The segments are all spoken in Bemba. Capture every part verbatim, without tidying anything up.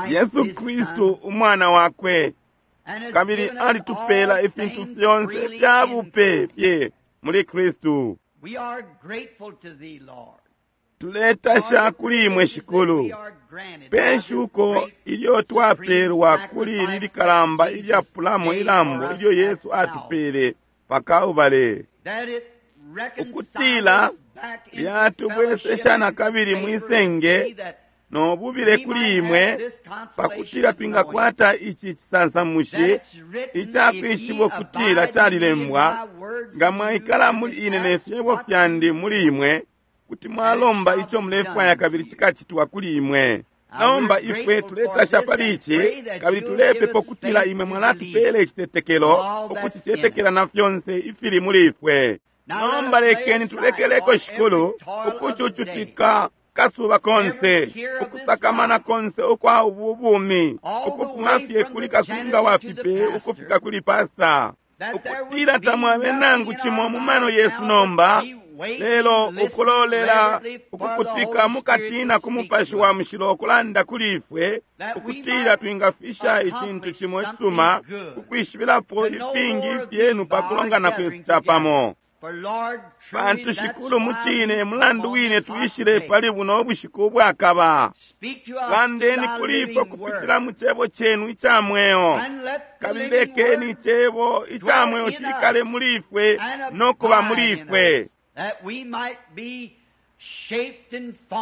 Yesu Kristu umwana wakwe, kabili alitupela ifintu fyonse fya bupe fye muli Kristu. Tuletasha kuli imwe Shikulu pe shuko ilyo twapelwa kuli ili likalamba ilyapulamo ilambo ilyo Yesu atupele pa Kalbale, ukutila lyatubwesesha na kabili mwisenge no bubile kuli imwe, pakutila twingakwata ici cisansamushi icakwishiba ukutila calilembwa, nga mwaikala muli ine ne fyebo fyandi muli imwe, kuti mwalomba ico mulefwaya kabili cikacitwa kuli imwe. Nomba ifwe tuletasha pali ici, kabili tulepepa ukutila imwe mwalatupela icitetekelo ukucitetekela na fyonse ifili muli ifwe. Nomba lekeni tulekeleko Shikulu ukucucutika kasuba konse, ukusakamana konse ukwa ubu bumi, ukufuma fye kuli kasunga wa fipe ukufika kuli pasta, ukutila tamwabe nangu cimo mu mano yesu nomba, lelo ukulolela ukukutika mukatina ku Mupashi wa Mushilo ukulanda kuli ifwe, ukutila twingafisha icintu cimo icisuma kukwishibilapo ifingi ifyenu pa kulongana kwesu capamo. Pantu Shikulu mucine mulandu wine tuishile pali buno bushiku ubwakaba. Landeni kuli ifwe kupitila mu cebo cenu ica mweo, kabili lekeni icebo ica mweo cikale muli ifwe no kuba muli ifwe,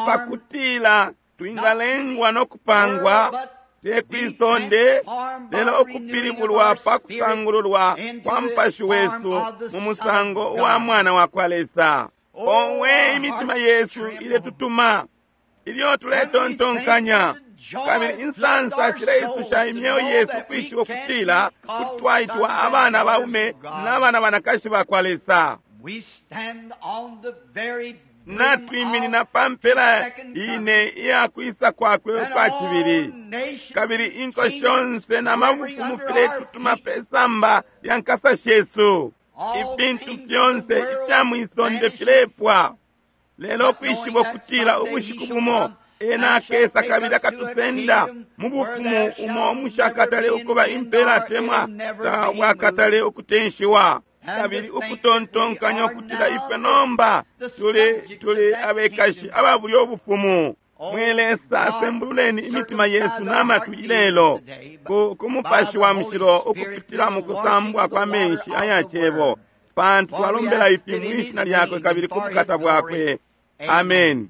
pakutila twingalengwa no kupangwa te kwisonde, lelo ukupilibulwa pa kusangululwa kwa Mupashi wesu mu musango wa Mwana wa kwa Lesa. Owe, imitima yesu iletutuma ilyo tuletontonkanya, kabili insansa shileisusha imyeo yesu kwishiba ukutila kuti twaitwa abana baume n'abana banakashi ba kwa Lesa. Natwiminina pa mpela ine iya kwisa kwakwe ukwa cibili, kabili inko shonse na mabufumu filetutuma pe samba lya nkasa shesu. Ifintu fyonse ifya mwisonde filepwa, lelo kwishiba ukutila ubushiku bumo ena akesa kabili akatusenda mu bufumu umo umushakatale ukuba impela atemwa tabwakatale ukutenshiwa. Kabili ukutontonkanya ukutila ifwe nomba tuli tuli abekashi aba bulyo bufumu. Mwe Lesa, sembululeni imitima yesu n'amatwi ilelo ku, ku Mupashi wa Mushilo ukupitila mu kusambwa kwa menshi aya cebo, pantu twalombela ifi mwishina lyakwe kabili ku bukata bwakwe. Amen.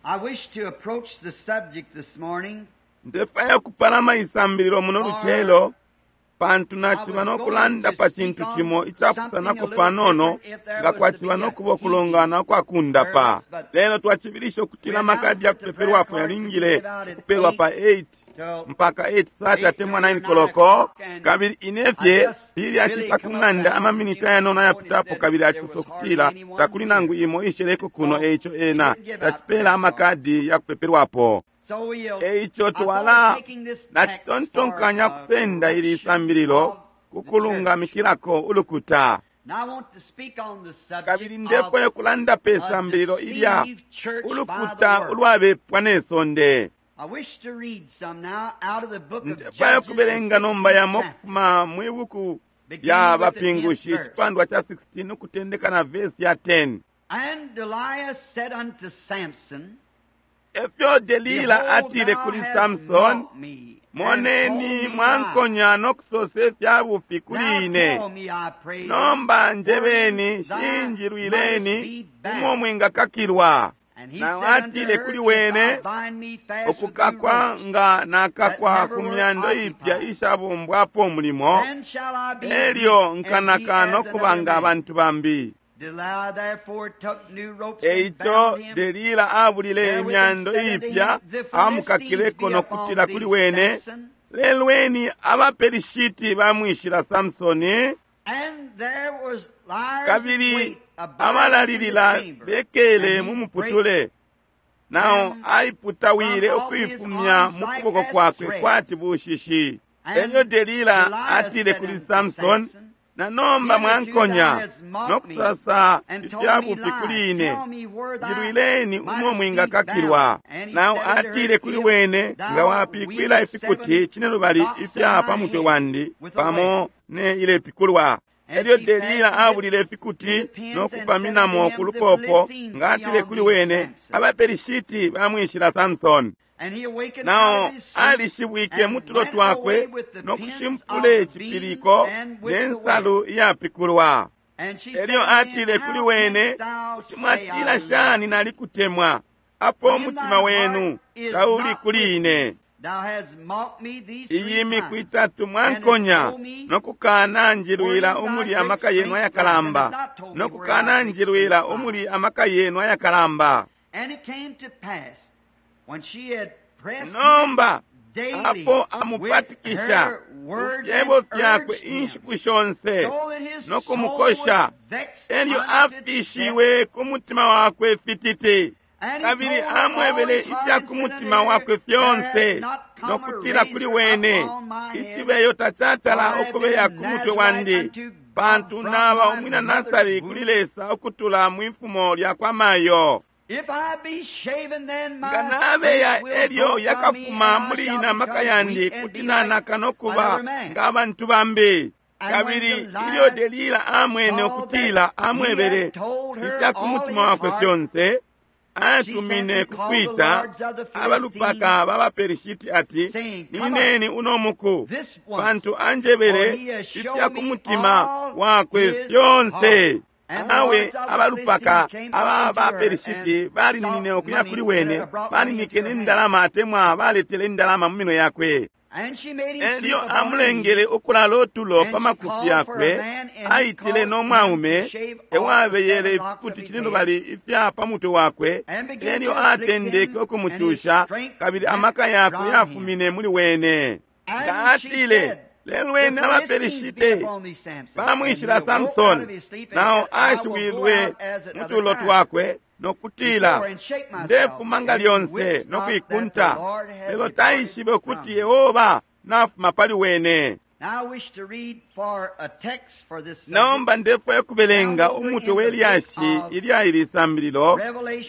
I wish to approach the subject this morning. Ndefwaya kupalama isambililo muno lucelo, pantu naciba no kulanda pa cintu cimo icapusanako panono nga kwaciba no kuba ukulongana ukwakundapa. Lelo twacibilisha ukutila amakadi ya kupeperwapo yalingile kupelwa pa eight mpaka eight thirty atemwa nine koloko, kabili inefye lili acisa ku ng'anda amaminiti ayanono ayapitapo, kabili acisa ukutila takuli nangu imo isheleko kuno, eico ena tacipela amakadi ya kupeperwapo. Eico twala nacitontonkanya kusenda ili isambililo kukulungamikilako ulukuta. Kabili ndefwaya kulanda pe sambililo ilya ulukuta ulwabepwa ne sonde. Ndefwaya kubelenga nomba yamo kufuma mwi buku lya Bapingushi icipandwa ca sixteen ukutendeka na vesi ya ten. And Delilah said unto Samson, Efyo Delila atile kuli Samson, moneni mwankonya no kusose fya bufi kuli ine. Nomba njebeni, shinjilwileni umo mwingakakilwa. Na atile kuli wene, ukukakwa nga nakakwa ku myando ipya ishabumbwapo umulimo, elyo nkanaka no kuba nga abantu bambi. Eico Delila abulile imyando ipya amukakileko no kutila kuli wene, lelweni abaPelishiti bamwishila Samsoni. Kabili abalalilila bekele mu muputule, nao aiputawile ukuifumya mu kuboko kwakwe kwati bushishi. Elyo Delila atile kuli Samsoni, Na nomba mwankonya no kusasa ifya bufi kuli ine. Njilwileni umo mwingakakilwa. Nao atile kuli wene, nga wapikwila ifikuti cinelubali ifya pa mutwe wandi pamo ne ilepikulwa. Elyo Delila abulile ifikuti no kupaminamo ku lupopo, nga atile kuli wene, abaPelishiti bamwishila Samsoni. Nao alishibwike mu tulo twakwe no kushimpule icipiliko ne nsalu iyapikulwa. Elyo atile kuli wene, kuti mwatila shani nalikutemwa, apo umutima wenu tauli kuli ine. Iyi miku itatu mwankonya no kukana njilwila umuli amaka yenu ayakalamba, no kukana njilwila umuli amaka yenu ayakalamba. Nomba apo amupatikisha ifyebo fyakwe inshiku shonse no kumukosha, elyo afishiwe ku mutima wakwe fititi, kabili amwebele ifya ku mutima wakwe fyonse, no kutila kuli wene, icibeyo tacatala ukubeya ku mutwe wandi, pantu naba umwina Nasari kuli Lesa ukutula mwifumo lya kwa mayo. Nga nabeya elyo yakafuma muli ina maka yandi, kuti nanaka no kuba nga abantu bambi. Kabili ilyo Delila amwene ukutila amwebele ifya ku mutima wakwe fyonse, atumine kukwita abalupaka b'abaPelishiti ati, nineni uno muku, pantu anjebele ifya ku mutima wakwe fyonse. Awe abalupaka aba baPelishiti balininine ukuya kuli wene, baninike n'indalama atemwa baletele indalama mu minwe yakwe. Elyo amulengele ukulala otulo pa makufi yakwe, aitile no mwaume ewabeyele ifikuti cinelubali ifya pa mutwe wakwe. Elyo atendeke ukumucusha, kabili amaka yakwe yafumine muli wene. Nga atile, lelo wene abaPelishite bamwishila Samsoni, nao ashiwilwe mu tulo twakwe no kutila, ndefuma nga lyonse no kuikunta, lelo taishibe ukuti Yehova nafuma pali wene. Nomba ndefwaya kubelenga umutwe we lyashi ilya ili sambililo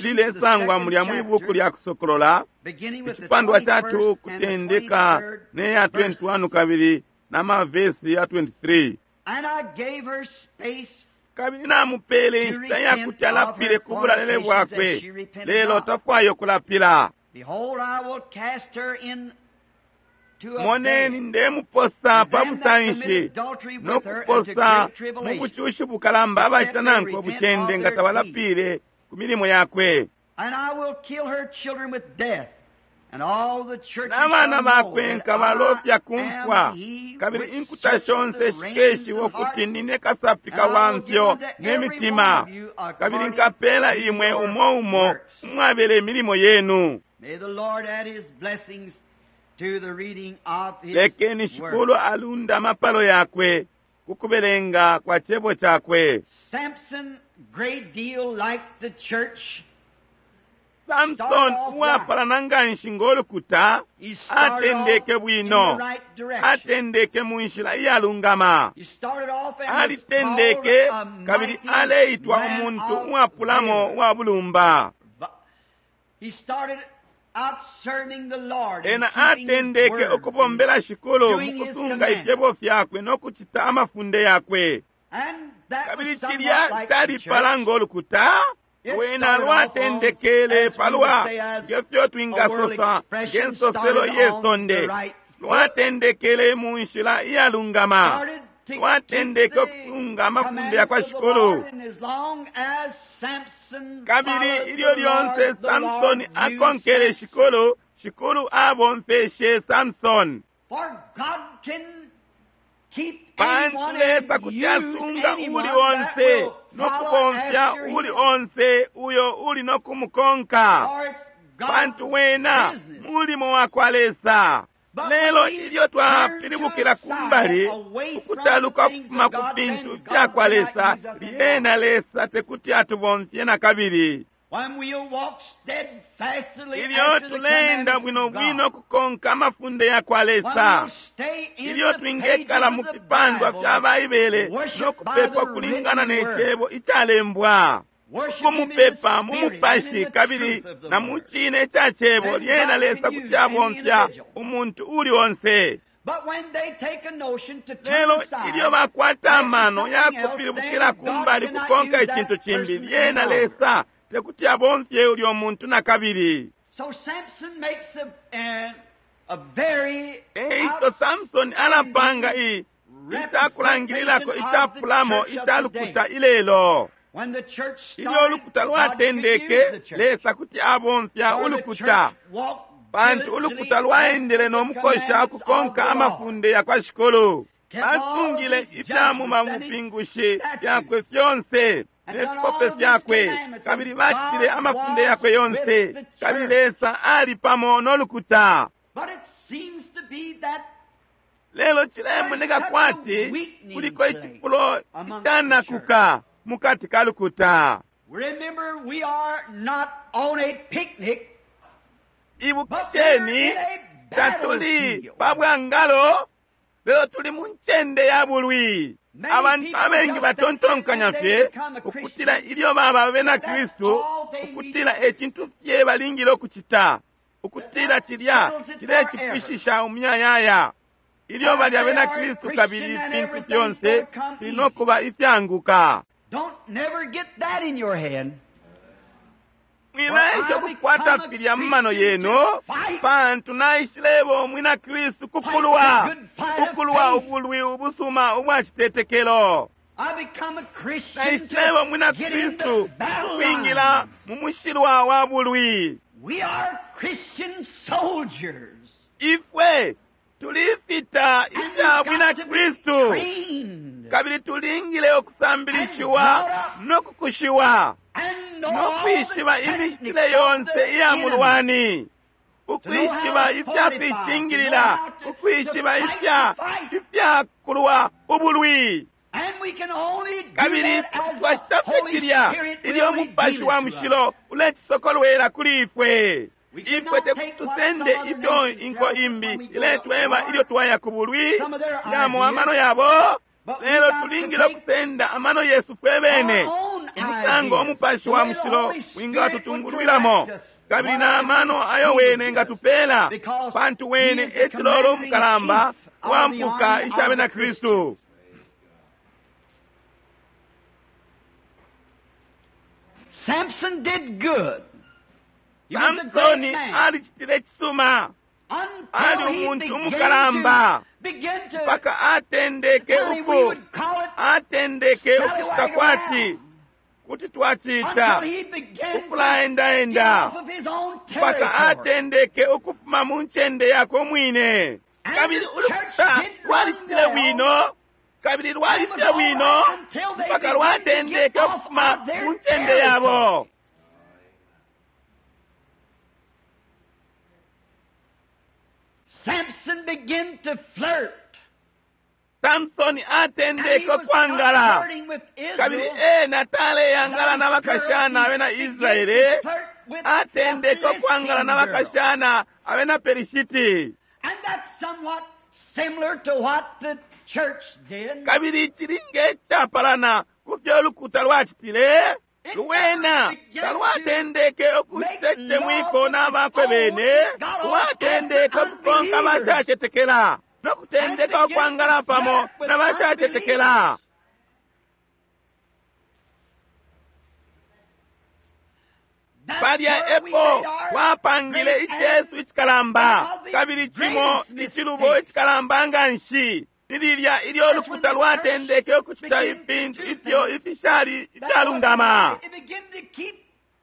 lilesangwa mulya mwi buku lya Kusokolola, icipandwa ca two kutendeka ne ya twenty-one kabili na mavesi ya twenty-three. Kabili namupele inshita yakuti alapile ku bulalele bwakwe, lelo tafwayo kulapila. Moneni, ndemuposa pa busanshi no kuposa mu bucushi bukalamba abacita nankwe bucende nga tabalapile ku milimo yakwe. N'abana bakwe nkabalofya ku mfwa, kabili inkuta shonse shikeshiwa ukuti nine kasapika wa mfyo n'emitima, kabili nkapeela imwe umo umo umwabele imilimo yenu. Lekeni Shikulu alunda amapalo yakwe ku kubelenga kwa cebo cakwe. Samson, great deal like the church. Samson uwapalana nganshi ng'olukuta atendeke bwino, atendeke mu nshila iyalungama, alitendeke kabili aleitwa umuntu uwapulamo uwa bulumba. Ena atendeke ukubombela Shikulu mu kusunga ifyebo fyakwe no kucita amafunde yakwe, kabili cilya calipala ng'olukuta. Wena lwatendekele palwa ngefyo twingasosa ngensoselo yesonde, lwatendekele mu nshila iyalungama, lwatendeke ukusunga amafunde yakwa Shikulu. Kabili ilyo lyonse Samsoni akonkele Shikulu, Shikulu abomfeshe Samsoni. Pantu Lesa kuti asunga uli onse no kubomfya uli onse uyo uli no kumukonka, pantu wena mulimo wakwa Lesa. Lelo ilyo twapilibukila kumbali ukutaluka ukufuma ku fintu fyakwa Lesa, lyena Lesa tekuti atubomfye na kabili. When we'll walk steadfastly Ilyo after the tuleenda commandments bwino of bwino God. kukonka amafunde ya kwa When Lesa. we'll stay in Ilyo the twingekala pages mu of the fipandwa Bible, fya Baibele worship no by kupepa the kulingana written ne word. cebo icalembwa. Worship Him in the Kumupepa mu Spirit and in mupashi the kabili truth of the na mu word. cine ca cebo Then lyena God Lesa can kuti use any abomfya individual. umuntu uli onse. But when they take a notion to turn Lelo aside, ilyo bakwata after amano something else, yakupilibukila then ku God mbali cannot kukonka use that icintu cimbi person lyena any longer. Lesa tekuti abomfye ulyo muntu na kabili. So Samson makes a, a, a very Eico Samson alapanga i icakulangililako representation of the icapulamo church of ica the lukuta day. ilelo. When the church Ilyo started, ulukuta God could use the lwatendeke church. Lesa kuti abomfya For the ulukuta church walked pantu diligently ulukuta lwaendele after no the mukosha commandments of ukukonka the Lord. amafunde ya kwa Shikulu. Kept all Basungile his ifya mu judgments and his mabupingushi statutes. fyakwe fyonse And ne done fipope all of his fyakwe commandments, kabili and bacitile God amafunde was yakwe yonse with the kabili church. Lesa ali pamo no lukuta. But it seems to be that Lelo cilemoneka There's such a kwati weakening kuliko place icifulo among the icanakuka mukati ka lukuta. Remember, we are not on a picnic, but we're Ibukisheni in a tatuli battlefield. pa bwangalo lelo tuli mu ncende ya bulwi. Many Abantu people abengi just think batontonkanya that when fye they become a Christian, ukutila ilyo baba abena that's Kristu all they need ukutila to do. e cintu fye balingile ukucita ukutila That cilya settles it cilecipwishisha umuyayaya. Ilyo That bali they abena are a Kristu Christian kabili and ifintu everything's fyonse gonna come filino easy. kuba ifyanguka. Don't never get that in your head. Mwilaesha For I ukukwata become a filya mu mano Christian yenu to fight. pantu naishileba umwina Kristu kukulwa Fight the good fight of kukulwa faith. ubulwi ubusuma ubwa citetekelo. I become a Christian Naishileba to umwina get in Kristu the battle kwingila line. mu mushilwa wa bulwi. We are Christian soldiers. Ifwe tulifita And ifya we've bwina got to be Kristu trained kabili tulingile ukusambilishiwa And brought up. no kukushiwa and know no all the kwishiba techniques imicitile of yonse the iya enemy. mulwani To know how ukwishiba to ifya fortify, to know kwicingilila how to, to ukwishiba fight ifya the fight. ifya kulwa ubulwi And we can only do kabili that as the twacita fye Holy cilya Spirit ilyo will reveal umupashi it wa to us. mushilo ulecisokolwela kuli ifwe We ifwe cannot te take what tusende some other ifyo nation inko tells us imbi when we go to iletweba war, ilyo twaya ku bulwi some of their yamo amano ideas, yabo but we lelo got to tulingile take okusenda amano yesu fwe bene our own umusango ideas, umupashi the wa way the mushilo Holy Spirit would wingatutungulwilamo direct us, kabili what na mano ideas ayo He would wene give us, ngatupela because pantu He wene is the ecilolo commanding umukalamba chief of the wampuka army isha of bena the Kristu. Christians. Samson did good. He was a great Samsoni man alicitile cisuma ali until he umuntu began umukalamba to begin to mpaka atendeke finally we uku would call it atendeke ukucita scallywag kwati around. kuti twacita Until he began to get ukulaendaenda off of his own mpaka territory. atendeke ukufuma mu ncende yakwe umwine And kabili the church ulukuta did run lwalicitile well bwino kabili and lwali was fye all bwino right until they mpaka began to get lwatendeke off ukufuma of their mu ncende yabo territory. Samson began to flirt. Samsoni And he atendeke was not okwangala flirting with kabili Israel. ena taleyangala Not his girls. n'abakashana He abena began to Israele flirt with a atendeke okwangala Philistine girl. n'abakashana abena Perishiti And that's somewhat similar to what the church did. kabili kili ng'ekyapalana ku fyo olukuta lwacitile It lwena never began to talwatendeke make okucita love ekitemwiko with its n'abakwe own. bene It got off after lwatendeke okukonka unbelievers abashacetekela and n'okutendeka began to okwangala pamo flirt with n'abashacetekela unbelievers. That's palya where we epo made our twapangile great and icesu icikalamba one of the kabili cimo greatest icilubo mistakes. icikalamba nga nshi ni lilya ilyo That's when olukuta the church lwatendeke okucita began to ifintu do ifyo things ifishali that wasn't ifyalungama right. It began to keep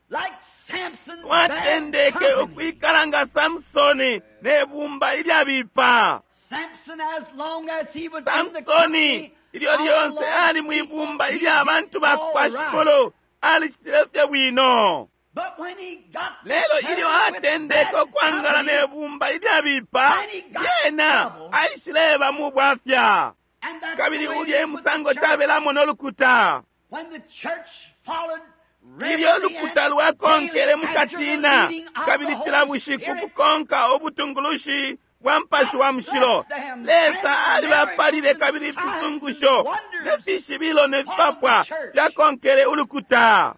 like Samson bad lwatendeke company. ukwikala nga Samsoni n'ebumba ilyabipa Samson, as long as he was in the Samsoni company ilyo of the lyonse Lord's ali people, mwibumba he ilya did bantu ba all kwa right. Shikulu alicitile fye bwino But when he got to lelo ilyo flirting with atendeke bad okwangala company, n'ebumba ilyabipa then he got lyena trouble. aishileba mu bwafya And that's the kabili way it ulya is with the emusango church. cabelamo n'olukuta When the church followed Ilyo lukuta lwakonkele mukatina kabili cila bushiku kukonka ubutungulushi bwa Mupashi wa Mushilo, Lesa alibapalile kabili ifisungusho ne fishibilo ne fipapwa fyakonkele ulukuta.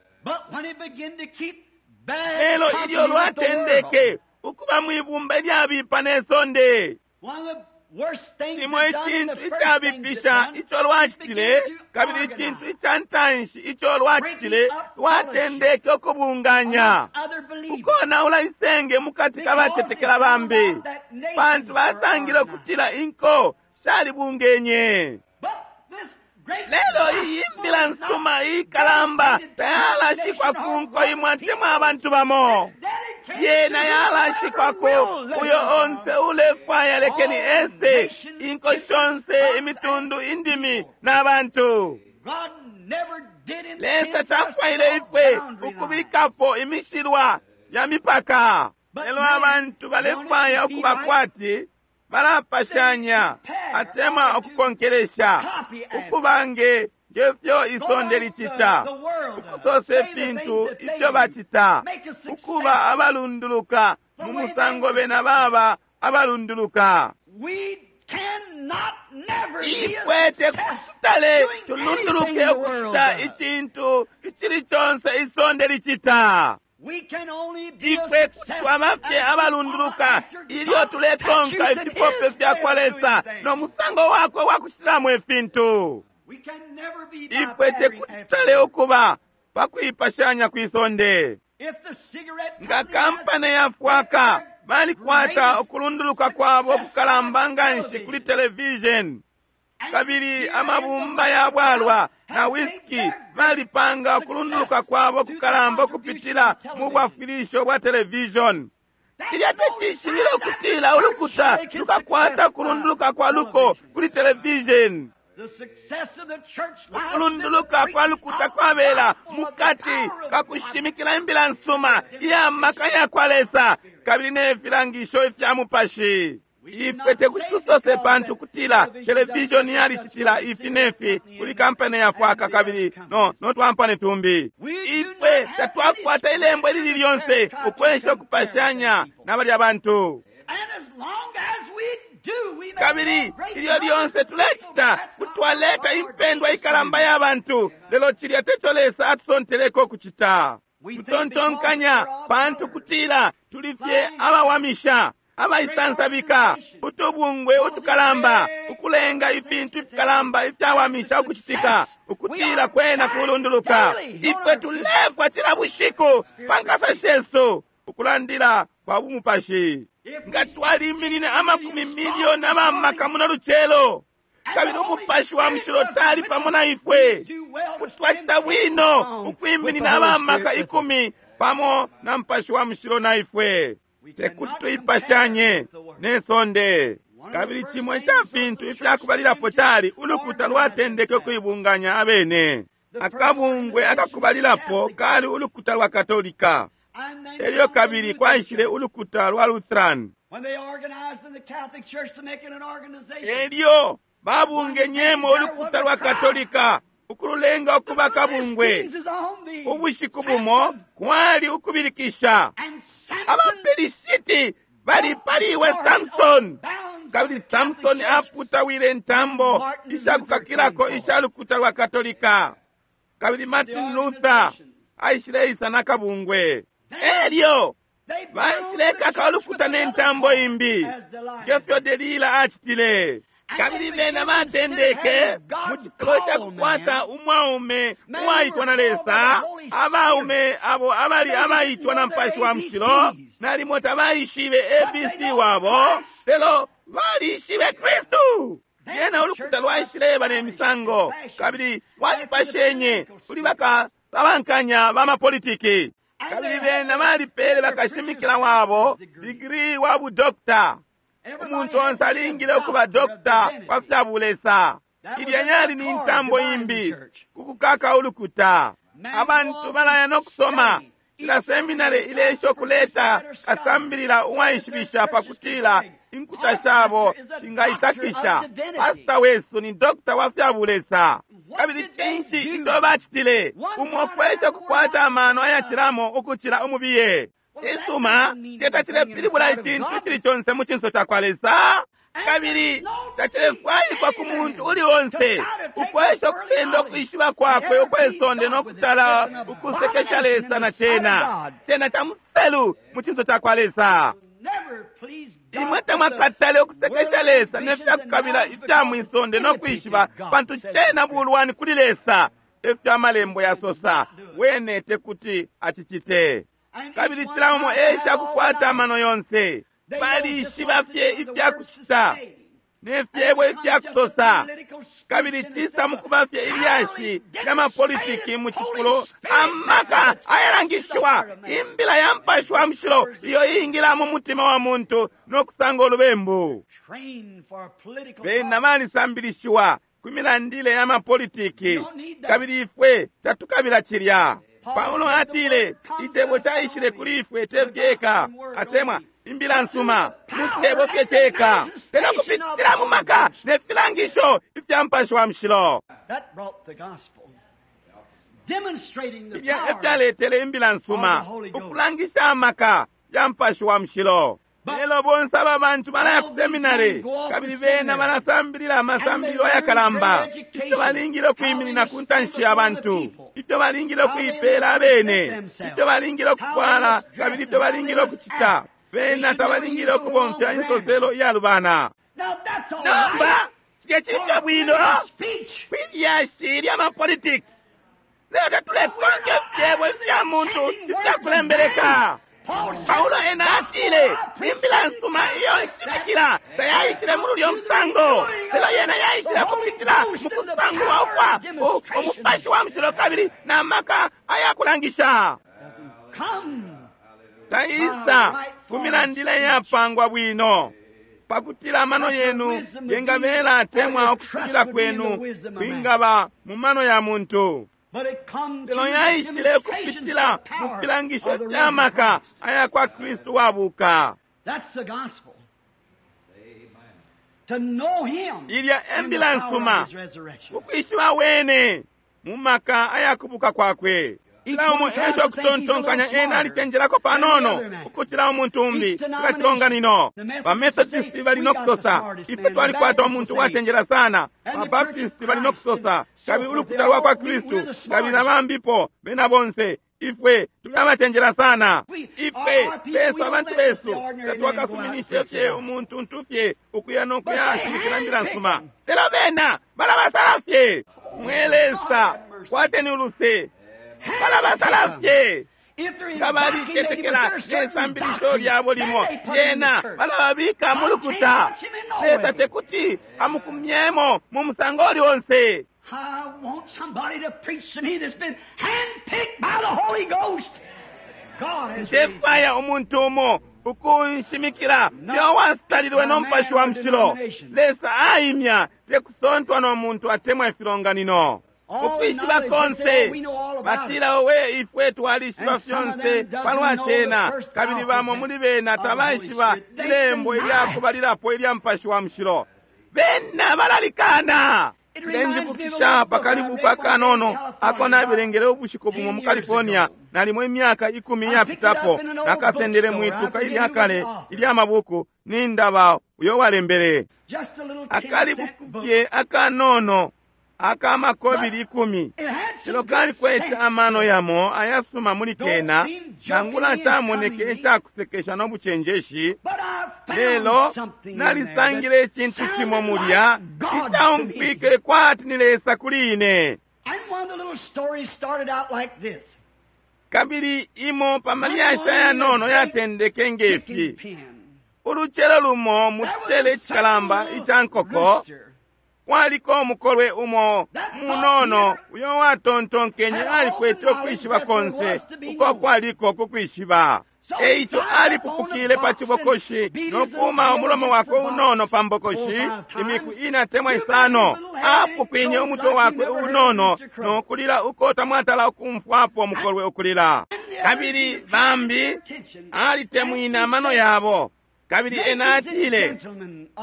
Lelo ilyo lwatendeke ukuba mwibumba ilyabipa ne sonde, cimo icintu icabipisha ico lwacitile, kabili icintu ica ntanshi ico lwacitile, lwatendeke ukubunganya, ukonaula isenge mukati kabacetekela bambi, pantu basangile ukutila inko shalibungenye. Lelo iyi mbila nsuma ikalamba tayalashikwa ku nko imwe atemwa abantu bamo, yena yalashikwako uyo onse ulefwaya lekeni ese, inko shonse, imitundu, indimi n'abantu. Lesa tafwaile ifwe ukubikapo imishilwa ya mipaka, lelo abantu balefwaya ukuba kwati balapashanya atemwa ukukonkelesha, ukuba nge ngefyo isonde licita, ukusosa ifintu ifyo bacita, ukuba abalunduluka mu musango bena baba abalunduluka. Ifwe tekutale tulunduluke ukucita icintu icili conse isonde licita. Ifwe twaba fye abalunduluka ilyo tulekonka ifipope fya kwa Lesa no musango wakwe wa kucitilamo ifintu. Ifwe tekutale ukuba pakuipashanya kwisonde. Nga kampani ya fwaka balikwata ukulunduluka kwabo kukalamba nganshi kuli television, kabili amabumba ya bwalwa na whisky balipanga ukulunduluka kwabo kukalamba ukupitila mu bwafwilisho bwa television. Cilya tecishibilo ukutila ulukuta lukakwata ukulunduluka kwa luko kuli television. Ukulunduluka kwa lukuta kwabela mukati kakushimikila imbila nsuma iya maka ya kwa Lesa kabili ne filangisho ifya mupashi. Ifwe tekuti tusose pantu kutila television yalicitila ifi nefi kuli kampani ya fwaka kabili no no twampani tumbi. Ifwe tatwakwata ilembo ilili lyonse ukwesha ukupashanya na balya bantu. Kabili ilyo lyonse tulecita kutwaleta impendwa ikalamba ya bantu, lelo cilya teco Lesa atusonteleko ukucita. Tutontonkanya pantu kutila tuli fye abawamisha, abaisansabika, utubungwe utukalamba, ukulenga ifintu ifikalamba ifyawamisha ukucitika, ukutila kwena kulunduluka. Ifwe tulefwa cila bushiku pa nkasa shesu ukulandila kwa bumupashi. Nga twaliminine amakumi milioni abamaka muno lucelo, kabili umupashi wa mushilo tali pamo na ifwe, kuti twacita bwino ukwiminina abamaka ikumi pamo na mupashi wa mushilo na ifwe. Tekuti tuipashanye ne sonde. Kabili cimo ica fintu ifyakubalilapo cali ulukuta lwatendeke ukuibunganya abene. Akabungwe akakubalilapo kali ulukuta lwa Katolika, elyo kabili kwaishile ulukuta lwa Lutheran, elyo babungenyemo ulukuta lwa Katolika ukululenga ukuba kabungwe. Ubushiku bumo kwali ukubilikisha, abaPelishiti balipaliwe Samson, kabili Samson aputawile intambo ishakukakilako isha lukuta lwa Katolika, kabili Martin Luther aishileisa na kabungwe. Elyo baishilekaka ulukuta ne ntambo imbi ngefyo Delila acitile. Kabili bena batendeke mu cifulo ca kukwata umwaume uwaitwa na Lesa, abaume abo abali abaitwa na Mupashi wa Mushilo, nalimo tabaishibe A B C wabo, lelo balishibe Kristu. Lyena ulukuta lwaishileba ne misango kabili lwalipashenye kuli bakasabankanya bamapolitiki, kabili bena balipele bakashimikila wabo digiri wa budokta. Umuntu onse alingile ukuba dokta wa fya bulesa. Ilya yali ni ntambo imbi kukukaka ulukuta. Abantu balaya no kusoma Cila seminary ilesha ukuleta kasambilila uwaishibisha pakutila inkuta shabo shingaitakisha. Pastor wesu ni dokta wa fya bulesa. Kabili cinshi ico bacitile? Umo kwesha kukwata amano ayacilamo ukucila umubiye. Cisuma, teta cilepilibula icintu cili conse mu cinso cakwa Lesa. Kabili tacilefwaikwa ku muntu uli onse ukwesha ukusenda ukwishiba kwakwe ukwesonde nokutala ukusekesha Lesa na cena. Cena ca muselu mu cinso cakwa Lesa. Imwe tamwakatale ukusekesha Lesa ne fyakukabila ifya mwisonde nokwishiba, pantu cena bulwani kuli Lesa. Efyo amalembo yasosa, wene tekuti acicite. Kabili cila umo esha kukwata amano yonse. Balishiba fye ifyakucita ne fyebo ifyakusosa, kabili cisa mukuba fye ilyashi lya mapolitiki mu cifulo amaka ayalangishiwa imbila ya Mupashi wa Mushilo iyo iingila mu mutima wa muntu no kusanga ulubembu. Bena balisambilishiwa ku milandile ya mapolitiki, kabili ifwe tatukabila cilya. Paulo atile icebo caishile kuli ifwe tefyeka atemwa imbila nsuma mu cebo fye ceka, lelo kupitila mu maka ne filangisho ifya Mupashi wa Mushilo. Filya efyaletele imbila nsuma, ukulangisha amaka ya Mupashi wa Mushilo. Lelo bonse aba bantu balaya ku seminary, kabili bena balasambilila amasambililo ayakalamba, ifyo balingile ukwiminina ku ntanshi ya bantu, ifyo balingile ukuipeela abene, ifyo balingile ukufwala, kabili ifyo balingile ukucita. Bena tabalingile ukubomfya insoselo iyalubana. Nomba cilya cili bwino kwilyashi lya mapolitiki, lelo tatulekonka ifyebo ifya muntu ifyakulembeleka. Paulo ena atile imbila nsuma iyo nshimikila tayaishile muli ulyo musango, lelo yena yaishile kupitila mu kusangulwa ukwa Umupashi wa Mushilo kabili na maka ayakulangisha. Taisa ku milandile yapangwa bwino, pakutila amano yenu yengabela atemwa ukusubila kwenu kwingaba mu mano ya muntu. Lelo yaishile kupitila mu filangisho fya maka aya kwa Kristu wabuka. Ilya embila nsuma, ukwishiba wene mu maka ayakubuka kwakwe. Cila umo esha ukutontonkanya ena alicenjelako panono ukucila umuntu umbi nga cilonganino. Bamethodisti bali nokusosa ifwe twalikwata umuntu wacenjela sana, Babaptisti bali nokusosa kabili ulukuta lwa kwa Kristu, kabili na bambipo bena bonse ifwe tuli abacenjela sana. Ifwe besu abantu besu tatwakasuminishe fye umuntu ntu fye ukuya nokuya shimikila mbila nsuma, lelo bena balabasala fye. Mwe Lesa, kwateni uluse. Balabasala fye nga balicetekela nesambilisho lyabo limo, lyena balababika mu lukuta. Lesa tekuti amukumyemo mu musango uli onse. I want somebody to preach to me that's been handpicked by the Holy Ghost. God has Ndefwaya umuntu umo ukunshimikila yo wasalilwe no Mupashi wa Mushilo. Lesa aimya tekusontwa no muntu atemwa ifilonganino. Ukwishiba konse batila owe ifwe twalishiba fyonse palwa cena, kabili bamo muli bena tabaishiba ilembo ilyakubalilapo ilya Mupashi wa Mushilo. Bena balalikana. Ndinjibukisha pakalibu akanono ako nabelengele ubushiku bumo mu California nalimo imyaka ikumi iyapitapo, nakasendele mwituka ilyakale ilyamabuku nindaba uyo walembele akalibuku fye akanono akamakobili ikumi, lelo kalikwete amano yamo ayasuma muli kena, nangula camoneke icakusekesha no bucenjeshi, lelo nalisangile icintu cimo mulya icaumfwike kwati ni Lesa kuli ine. Kabili imo pa malyashi ayanono yatendeke ngefi. Ulucelo lumo mu citele icikalamba ica nkoko kwaliko umukolwe umo munono uyo watontonkenye alikwete ukwishiba konse uko kwaliko kukwishiba. Eico alipupukile pa cibokoshi nokuuma umulomo wakwe unono pa mbokoshi imiku ina temwa isano, apukwinye umutwe wakwe unono nokulila uko tamwatala ukumfwapo mukolwe ukulila. Kabili bambi alitemwina amano yabo. Kabili ena atile,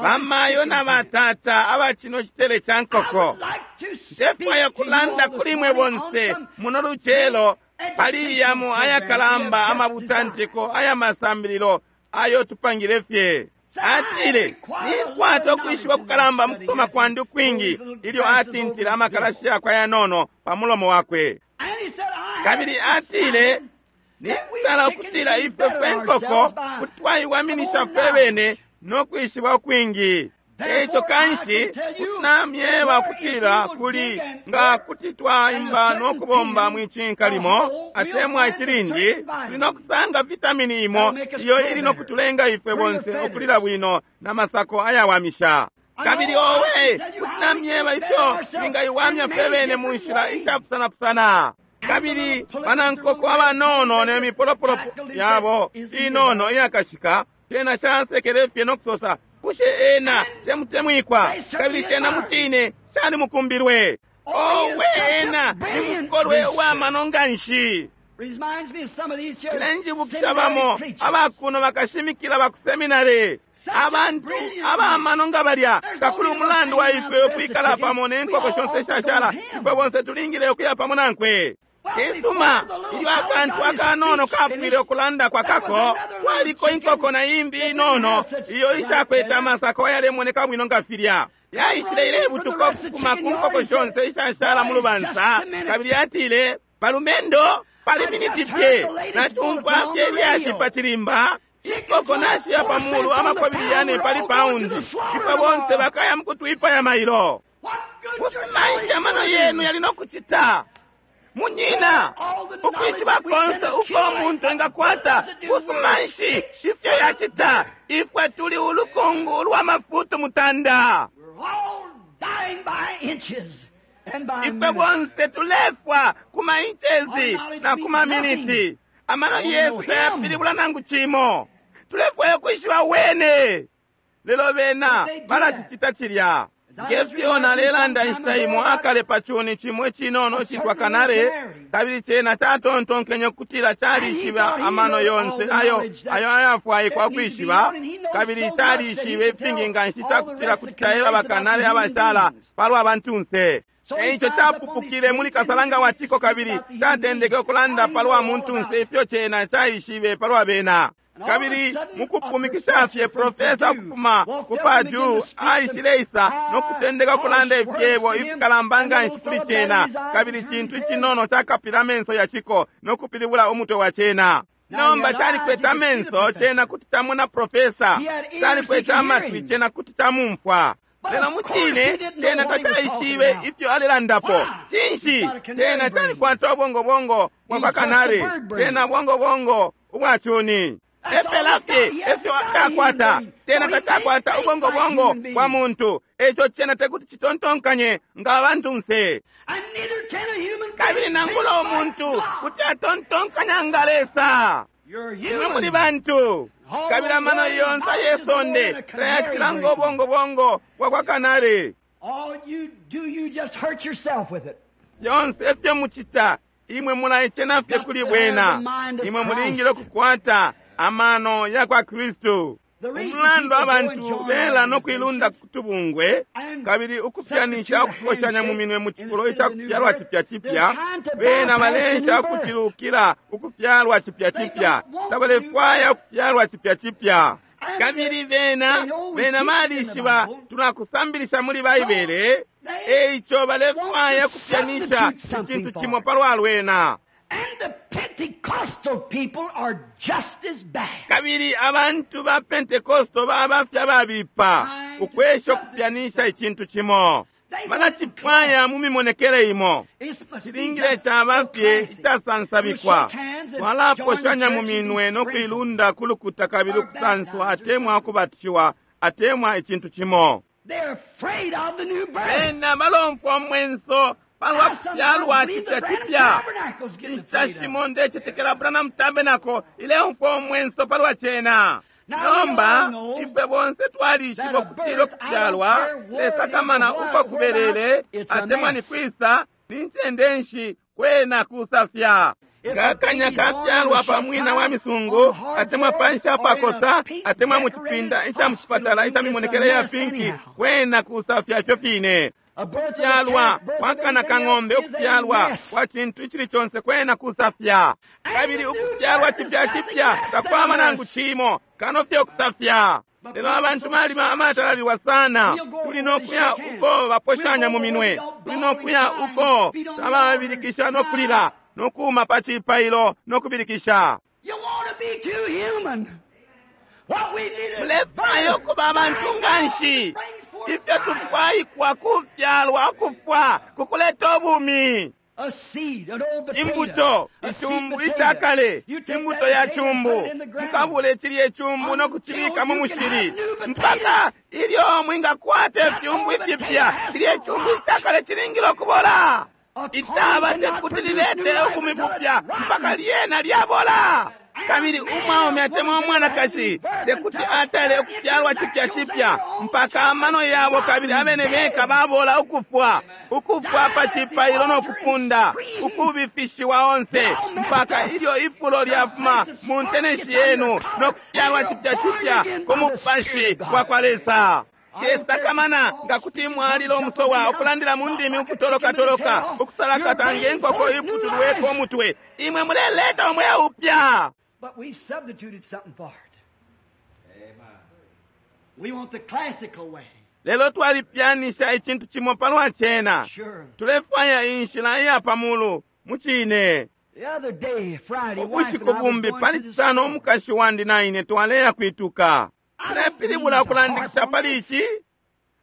bamayo na batata aba cino chitele cha nkoko, ndefwaya kulanda kuli mwe bonse muno lucelo pali yamo ayakalamba amabutantiko aya masambililo ayo tupangile fye. Atile, ninkwata ukwishiba kukalamba mukusoma kwandi ukwingi, ilyo atintile amakalashi yakwe ayanono pa mulomo wakwe. Kabili atile, ninsala ukutila ifwe fwe nkoko kutwaiwaminisha fwe bene no kwishiba ukwingi. Eico kanshi kutinamyeba ukutila kuli nga kuti twaimba no kubomba mwicinka limo atemwa icilindi, tuli no kusanga vitamini imo iyo ili no kutulenga ifwe bonse ukulila bwino na masako ayawamisha. Kabili owe, kutinamyeba ifyo twingaiwamya fwe bene mu nshila ishapusanapusana. Kabili banankoko abanono ne mipolopolo yabo inono iyakashika tena shasekele fye no kusosa, bushe ena temutemwikwa? Kabili tena mutine shali mukumbilwe. Owe, ena ni mukolwe uwamano nga nshi. Cilenjibukisha bamo abakuno bakashimikila bakuseminari, abantu abamano nga balya. Kakuli umulandu wa ifwe ukwikala pamo ne nkoko shonse ishashala, ifwe bonse tulingile ukuya pamo nankwe. Cisuma, ilyo akantu akanono kapwile ukulanda kwakako, kwaliko inkoko na imbi inono iyo ishakwete amasako ayalemoneka bwino nga filya. Yaishile ilebutuka ukufuma ku nkoko shonse ishashala mu lubansa, kabili yatile, balumendo, pali miniti fye nacumfwa fye ilyashi pa chilimba, inkoko nashiya pa mulu amakobili yane pali paundi, ifwe bonse bakaya mukutwipaya mailo. Kusumaisha amano yenu yali nokucita. Munyina, ukwishiba konse uko umuntu engakwata, kusumanshi ifyo yacita, ifwe tuli ulukungu ulwa mafutu mutanda. Ifwe bonse tulefwa kuma inchezi na kuma miniti. Amano yesu tayapilibula nangu cimo. Tulefwaya ukwishiba wene. Lelo bena balacicita cilya. Ngefyo nalelanda inshita imo akale pa cuni cimo icinono citwa kanare, kabili cena catontonkenye ukutila calishiba amano yonse ayo ayo ayafwaikwa ukwishiba, kabili calishibe ifingi nga nshi cakutila kuti caeba bakanare abashala palwa bantunse. Eico capupukile muli kasalanga wa ciko kabili catendeke ukulanda palwa muntunse ifyo cena caishibe palwa bena. Kabili mukupumikisha fye profesa ukufuma ku Purdue aishileisa no kutendeka ukulanda ifyebo ifikalamba nga nshi kuli cena, kabili cintu icinono cakapila amenso ya ciko no kupilibula umutwe wa cena. Nomba calikwete amenso cena kuti camona profesa, calikwete amatwi cena kuti camumfwa. Lelo mucine cena tacaishibe ifyo alelandapo. Cinshi? Cena calikwata ubongobongo bwa kwa kanari, cena bongobongo ubwa cuni. Epela fye efyo cakwata, cena tacakwata ubongobongo bwa muntu. Eco cena tekuti citontonkanye nga abantunse. Kabili nangula umuntu kuti atontonkanya nga Lesa. Imwe muli bantu, kabili amano yonse ayesonde tayacila nga ubongobongo bwa kwa kanari. Yonse efyo mucita, imwe mulaicena fye kuli bwena. Imwe mulingile ukukwata amano ya kwa Kristu. Umulandu abantu bela no kuilunda kutubungwe kabili ukupyanisha ukukoshanya mu minwe mu cifulo ica kufyalwa cipya cipya, bena balesha ukucilukila ukufyalwa cipya cipya, tabalefwaya ukufyalwa cipya cipya. Kabili bena bena balishiba tunakusambilisha muli Baibele, eico balefwaya ukupyanisha icintu cimo palwa lwena. And the Pentecostal people are just as bad. Kabili abantu ba Pentecostal baba fye ababipa ukwesha ukupyanisha icintu cimo. Balacipwaya mu mimonekele imo. Cilingile caba fye icasansabikwa. Twalaposhanya mu minwe no kuilunda ku lukuta kabili ukusanswa atemwa ukubatishiwa atemwa icintu cimo. Bena balomfwa umwenso palwa kufyalwa cipya cipya. Inshita shimo ndecetekela Branham Tabernacle ileumfwa umwenso palwa cena. Nomba ifwe bonse twalishiba ukutila ukufyalwa lesakamana uko kubelele atemwa ni kwisa ni ncende nshi kwena kusafya. Nga kanya kafyalwa pa mwina wa misungu, atemwa panshi apakosa, atemwa mu cipinda ica mu cipatala ica mimonekele ya pinki, kwena kusafya ifyo fine. Ukufyalwa kwa kana ka ng'ombe, ukufyalwa kwa cintu icili conse kwena kusafya. Kabili ukufyalwa cipya cipya takwaba nangu cimo kano fye ukusafya. Lelo abantu balima amatalalilwa sana. Tuli nokuya uko baposhanya mu minwe, tuli nokuya uko tababilikisha nokulila, nokuuma pa cipailo nokubilikisha. You want to be too human. What we need is Mulefwaya ukuba abantu nganshi. Ifyo tufwaikwa kufyalwa ukufwa kukuleta ubumi. a seed, an old potato, Imbuto, a seed ichumbu potato. ichakale, You take imbuto that ya potato and chumbu, put it in the ground. mukabule chilye chumbu nokuchibika mu mushili mpaka ilyo mwingakwata ifyumbu ifipya. Chilye chumbu ichakale chilingile okubola, itaba tekuti lilete ubumi bupya mpaka lyena lyabola. Kabili umwaume atemwa umwanakashi tekuti atale ukufyalwa cipya cipya mpaka amano yabo kabili abene beka babola ukufwa, ukufwa pa cipailo nokufunda, ukubifishiwa onse mpaka ilyo ifulo lyafuma mu nteneshi yenu nokufyalwa cipya cipya ku mupashi wa kwa Lesa. Chesakamana nga kuti mwalila umusowa ukulandila mu ndimi ukutolokatoloka ukusalakata ngenkoko iputulweko umutwe, imwe muleleta umweo upya. But we substituted something for it. We want the classical way. Lelo twalipyanisha icintu cimo palwa cena. Sure. Tulefwaya inshila iya pamulu mucine. The other day, Friday, wife and Ubushiku I was bumbi going pali to the cisano store. umukashi wandi na ine twaleya kwituka. Tulepilibula ukulandikisha pali ici.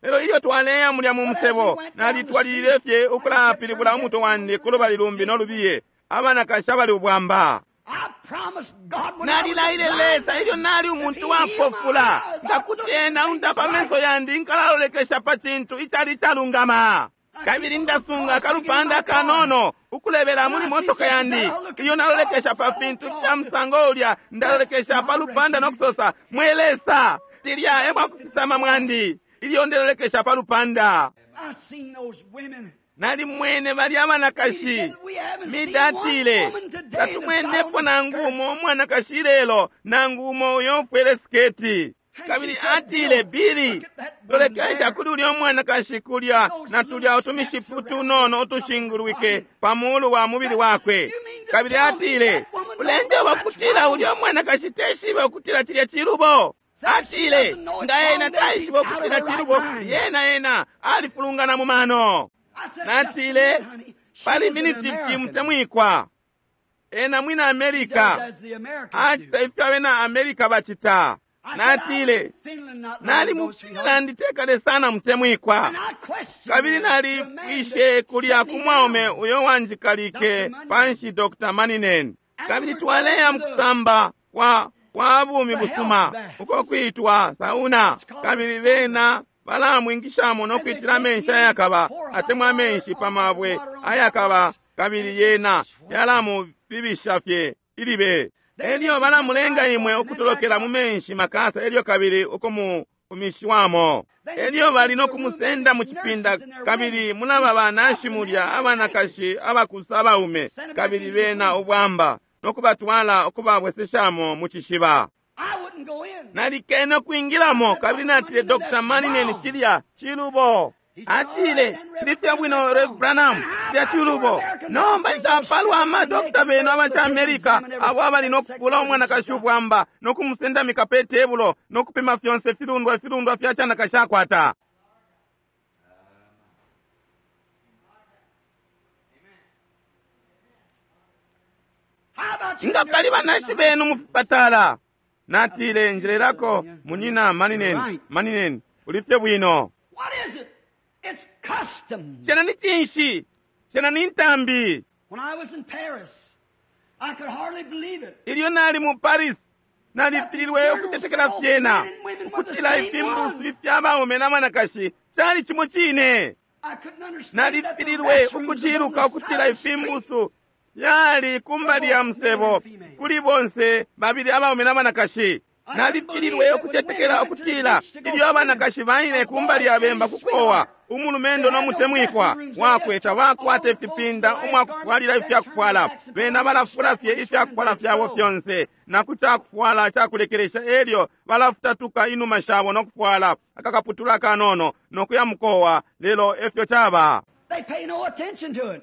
Lelo ilyo twaleya mulya mu musebo, nalitwalilile fye ukulapilibula umutwe wandi ku lubali lumbi nolubiye, abanakashi abali ubwamba. I promised God when I was Nalilaile blind, Lesa ilyo nali umuntu wapofula, ngakuti ena undapa amenso yandi nkalalolekesha pa cintu icali icalungama. Kabili ndasunga akalupanda akanono ukulebela muli motoka yandi. Iyo nalolekesha pa fintu fya musango ulya, ndalolekesha pa lupanda nokusosa, mwe Lesa, tilya emwakufisama mwandi. Ilyo ndelolekesha pa lupanda. I seen those women. Nalimwene bali He abanakashi. said, we haven't seen one Midatile, woman today that's got tatumwenepo on a nangu skirt. umo umwanakashi lelo, nangu umo uyo ufwele siketi. Kabili atile, Bili, lolekesha kuli ulya umwanakashi kulya na tulya utumishipu tunono utushingulwike pa mulu wa mubili wakwe. Kabili atile, ulenjeba ukutila ulya umwanakashi teshibe ukutila cilya cilubo. Atile, nga ena taishiba ukutila cilubo, yena ena alifulungana mu mano. I said, Natile, just a minute, honey. She pali is an miniti fye American. mutemwikwa. Ena mwina She does Amerika as the Americans acita do. ifyo abena Amerika bacita. I said, I was Natile, in Finland not long nali ago, mu sweetheart. Finland tekale sana mutemwikwa. And I questioned Kabili the man that nalipwishe kulya set ku me mwaume down. uyo wanjikalike Doctor panshi Doctor Maninen. Kabili twaleya mu kusamba kwa kwa bumi busuma uko kwitwa sauna. Kabili bena balamwingishamo no kwitila amenshi ayakaba atemwa amenshi pa mabwe ayakaba, kabili yena yalamubibisha fye ilibe. Elyo balamulenga imwe ukutolokela mu menshi makasa, elyo kabili ukumufumishiwamo. Elyo bali no kumusenda mu cipinda, kabili mulaba banashi mulya abanakashi abakusa abaume, kabili bena ubwamba, no kubatwala ukubabweseshamo mu cishiba. I wouldn't go in. Nalikene ukwingilamo, kabili natile, Doctor Maninen, cilya cilubo. Atile, ndifye bwino Rev Branham, cilya cilubo. Nomba icapalwa amadokita benu abaca America abo abali nokupula umwanakashi ubwamba nokumusendamika pe tebulo nokupima fyonse filundwa filundwa fya canakashi akwata. How about you Nga pali nurses in banashi the benu mu fipatala. Natile, njelelako munyina Maninen, Maninen, ulifye bwino. What is it? It's custom. Cena ni cinshi? Cena ni ntambi. When I was in Paris, I could hardly believe it. Ilyo nali mu Paris, nalifililwe ukutetekela fyena, ukutila ifimbusu ifya baume na banakashi cali cimo cine. I couldn't understand that the Nalifililwe restrooms was on ukuciluka the ukutila side of the street. ifimbusu yali kumbali ya musebo kuli bonse babili abaume na banakashi. Nalifililwe ukucetekela ukutila ilyo abanakashi baile kumbali ya bemba kukowa, umulumendo no mutemwikwa wakwe tabakwata ifipinda umwakufwalila ifyakufwala. Bena balafula fye ifyakufwala fyabo fyonse na ku cakufwala cakulekelesha, elyo balafutatuka inuma shabo no kufwala akakaputula kanono no kuya mukowa. Lelo efyo caba. They pay no attention to it.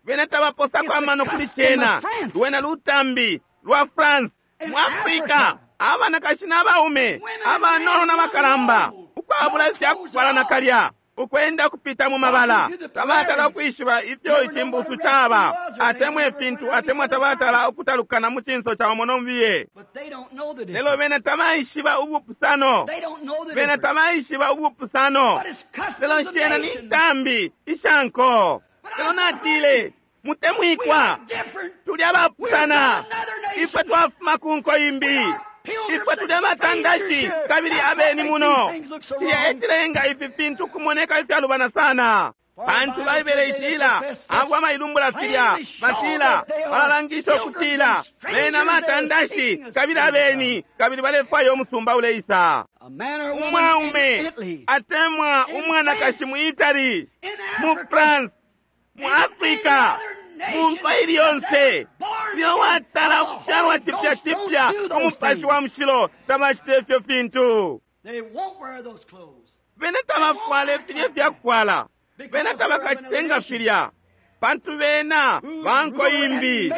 Bena tabaposako amano kuli cena. Lwena lutambi lwa France. Mu Africa, abanakashi n'abaume, abanono n'abakalamba, ukwabula ifyakufwala nakalya, ukwenda kupita mu mabala, tabatala ukwishiba ifyo icimbusu caba, atemwa ifintu, atemwa tabatala ukutalukana mu cinso ca umo nomubiye. But they don't know the Lelo difference. bena tabaishiba ubupusano, They don't know the bena difference. tabaishiba ubupusano. But it's Lelo customs of shena ni nations. ntambi ishanko. Lelo natile, We mutemwikwa, are different. tuli abapusana, ifwe twafuma ku nko imbi, ifwe tuli abatandashi kabili abeni muno. Cilya ecilenga ifi fintu kumoneka ifyalubana sana, pantu Baibele itila abo abailumbula filya batila balalangisha ukutila bena batandashi kabili abeni, kabili balefwaya umusumba uleisa. A man or woman in Umwaume Italy, atemwa umwanakashi mu Italy, in mu Africa, France, mu Africa, mu nko ili yonse, iyo watala ukufyalwa cipya cipya umupashi wa mushilo, tabacita ifyo fintu. They won't wear those clothes. Bena tabafwala filya ifyakufwala, bena tabakacitenga filya, pantu bena banko imbi.